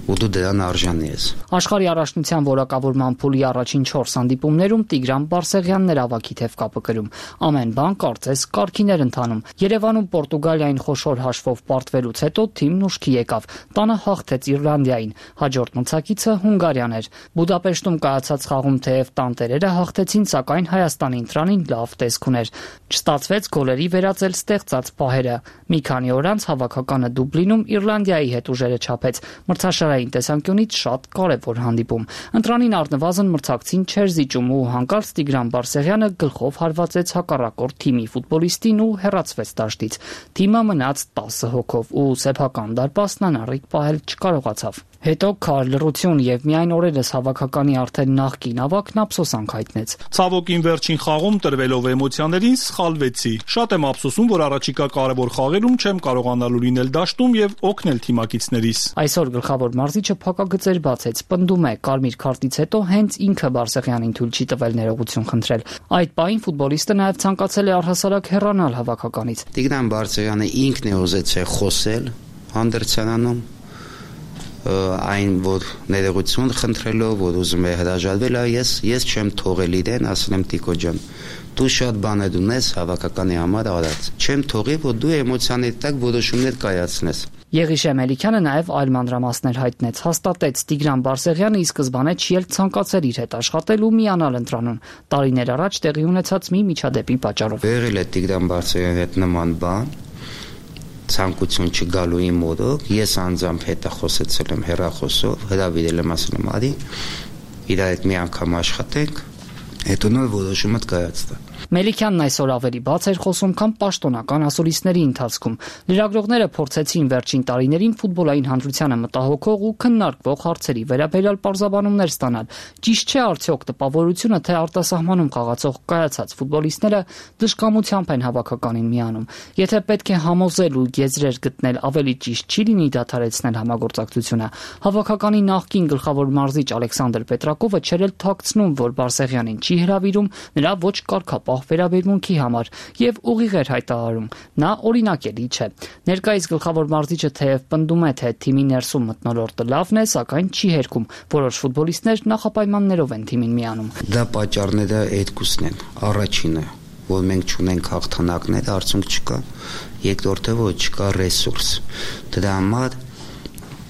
ու դու դրան արժանի ես։ Աշխարհի առաջնության որակավորման փուլի առաջին չորս հանդիպումներում Տիգրան Բարսեղյանն էր ավակի թև կապը կրում։ Ամեն բան կարծես կարգիներ ընթանում։ Երևանում Պորտուգալիային խոշոր հաշվով պարտվելուց հետո թիմն ուշքի եկավ։ Տանը հաղթեց Իռլանդիային, հաջորդ մրցակիցը Հունգարիան էր։ Բուդապեշտում կայացած խաղում թեև տանտերերը հաղթեցին, սակայն Հայաստանի ընտրանին լավ տեսք ուներ։ Չստացվեց գոլերի վերածել ստեղծած պահերը։ Մի քանի օր անց հավաքականը Դուբլինում Իռլանդիայի հետ ուժերը չափեց։ Մրցաշարային տեսանկյունից շատ կարևոր հանդիպում։ Ընտրանին առնվազն մրցակցին չէր զիջում ու հանկարծ Տիգրան Բարսեղյանը գլխով հարվածեց հակառակորդ թիմի ֆուտբոլիստին ու հեռացվեց դաշտից։ Թիմը մնաց տասը հոգով ու սեփական դարպասն անառիկ պահել չկարողացավ։ Հետո քար լռություն եւ միայն օրերս հավաքականի արդեն նախկին ավակն ափսոսանք հայտնեց։ Ցավոքին վերջին խաղում տրվելով էմոցիաներին սխալվեցի։ Շատ եմ ափսոսում, որ առաջիկա կարևոր խաղերում չեմ կարողանալու լինել դաշտում եւ օգնել թիմակիցներիս։ Այսօր գլխավոր մարզիչը փակագծեր բացեց, պնդում է, կարմիր քարտից հետո հենց ինքը Բարսեղյանին թույլ չի տվել ներողություն խնդրել։ Այդ պահին ֆուտբոլիստը նաեւ ցանկացել է առհասարակ հեռանալ հավաքականից։ Տիգրան Բարսեղյանը ինքն է ուզեցել խոսել հանդերձանանում այն որ ներողություն խնդրելով, որ ուզում է հրաժարվել, ես ես չեմ թողել իրեն, ասել եմ Տիկո ջան, դու շատ բաներ ունես հավաքականի համար արած, չեմ թողի, որ դու էմոցիաների տակ որոշումներ կայացնես։ Եղիշե Մելիքյանը նաև այլ մանրամասներ հայտնեց, հաստատեց Տիգրան Բարսեղյանը ի սկզբանե չի էլ ցանկացել իր հետ աշխատել ու միանալ ընտրանուն։ Տարիներ առաջ տեղի ունեցած մի միջադեպի պատճառով։ Եղել է Տիգրան Բարսեղյանի հետ նման բան, ցանկություն չգալու իմ մոդոք, ես անձամբ հետը խոսեցել եմ հեռախոսով, հրավիրել եմ, ասել եմ արի, իր հետ մի անգամ աշխատենք, հետո նոր որոշումը կայացնա։ Մելիքյանն այսօր ավելի բաց էր խոսում, քան պաշտոնական ասուլիսների ընթացքում։ Լրագրողները փորձեցին վերջին տարիներին ֆուտբոլային հանրությանը մտահոգող ու քննարկվող հարցերի վերաբերյալ պարզաբանումներ ստանալ։ Ճիշտ չէ արդյոք տպավորությունը, թե արտասահմանում խաղացող կայացած ֆուտբոլիստները դժկամությամբ են հավաքականին միանում։ Եթե պետք է համոզել ու եզրեր գտնել, ավելի ճիշտ չի լինի դադարեցնել համագործակցությունը։ Հավաքականի նախկին գլխավոր մարզիչ Ալեքսանդր Պետրակովը չէր էլ թաքցնում, որ Բարսեղյանին չի հրավիրում նրա ոչ կարգապահ վերաբերմունքի համար եւ ուղիղ էր հայտարարում։ Նա օրինակելի չէ։ Ներկայիս գլխավոր մարզիչը թեև պնդում է, թե թիմի ներսում մթնոլորտը լավն է, սակայն չի հերքում։ Որոշ ֆուտբոլիստներ նախապայմաններով են թիմին միանում։ Դա պատճառները երկուսն են։ Առաջինը, որ մենք չունենք հաղթանակներ, արդյունք չկա։ Երկրորդը, որ չկա ռեսուրս։ Դրա համար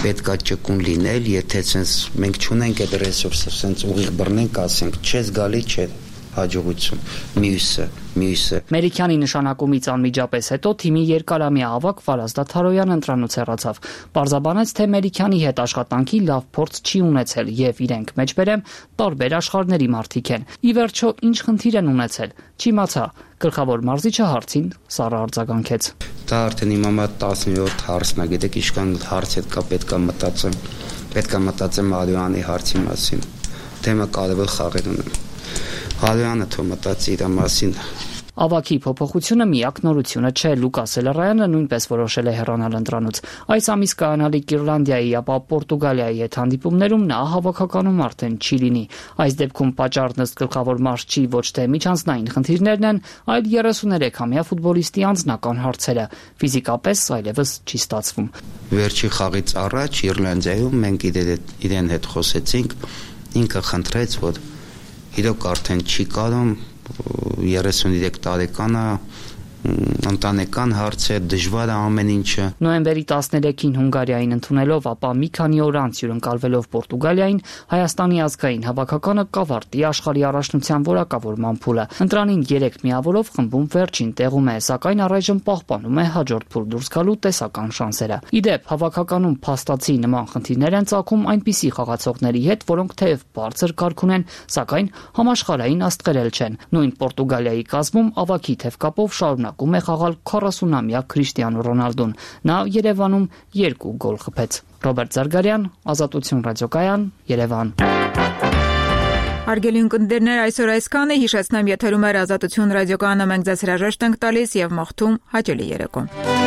պետքա ճկուն լինել, եթե sense մենք չունենք այդ ռեսուրսը, sense ուղիղ բռնենք, ասենք, չես գալի, չէ։ հաջողություն։ Մյուսը, մյուսը։ Մերիքյանի նշանակումից անմիջապես հետո թիմի երկարամյա ավակ Վարազդատ Թարոյանը ընտրանուց հեռացավ։ Պարզաբանեց, թե Մերիքյանի հետ աշխատանքի լավ փորձ չի ունեցել եւ իրենք մեջբերեմ տարբեր աշխարհների մարդիկ են։ Ի վերջո ինչ խնդիր են ունեցել։ Չիմացա։ Գլխավոր մարզիչը հարցին Սառը արձագանքեց։ Դա արդեն իմ համար տասնյոթ հարցն է, գիտեք, ինչքան հարց հետ կա պետք է մտածեմ։ Պետք է մտածեմ Ալյանի հարցի մասին։ Թեմը կարևոր խաղեր ունեմ։ Ալյանը թող մտածի իր մասին։ Ավակի փոփոխությունը միակ նորությունը չէ։ Լուկաս Էլարայանը նույնպես որոշել է հեռանալ ընտրանուց։ Այս ամիս կայանալիք Իռլանդիայի, ապա Պորտուգալիայի հետ հանդիպումներում նա հավաքականում արդեն չի լինի։ Այս դեպքում պատճառն ըստ գլխավոր մարզչի ոչ թե միջանձնային խնդիրներն են, այլ երեսուներեքամյա ֆուտբոլիստի անձնական հարցերը։ Ֆիզիկապես այլևս չի ստացվում։ Վերջի խաղից առաջ Իռլանդիայում մենք իրեն հետ խոսեցինք, ինքը խնդրեց, որ իրոք արդեն չի կարող երեսուններեք տարեկանը ընտանեկան հարցեր, դժվար է ամեն ինչը։ Նոյեմբերի տասներեքին Հունգարիային ընդունելով, ապա մի քանի օր անց հյուրընկալվելով Պորտուգալիային, Հայաստանի ազգային հավաքականը կավարտի աշխարհի առաջնության որակավորման փուլը։ Ընտրանին երեք միավորով խմբում վերջին տեղում է, սակայն առայժմ պահպանում է հաջորդ փուլ դուրս գալու տեսական շանսերը։ Իդեպ հավաքականում փաստացի նման խնդիրներ են ծագում այնպիսի խաղացողների հետ, որոնք թեև բարձր կարգ ունեն, սակայն համաշխարհային աստղերել չեն։ Նույն Պորտուգալիայի կազմում ավակի թևկապով շարունակ ում է խաղալ քառասունամյա Քրիշտիանո Ռոնալդուն։ Նա Երևանում երկու գոլ խփեց։ Ռոբերտ Զարգարյան, Ազատություն ռադիոկայան, Երևան։ Հարգելի ունկնդիրներ, այսօր այսքանը, հիշեցնեմ, եթերում է Ազատություն ռադիոկայանը, մենք ձեզ հրաժեշտ ենք տալիս եւ մաղթում հաճելի երեկո։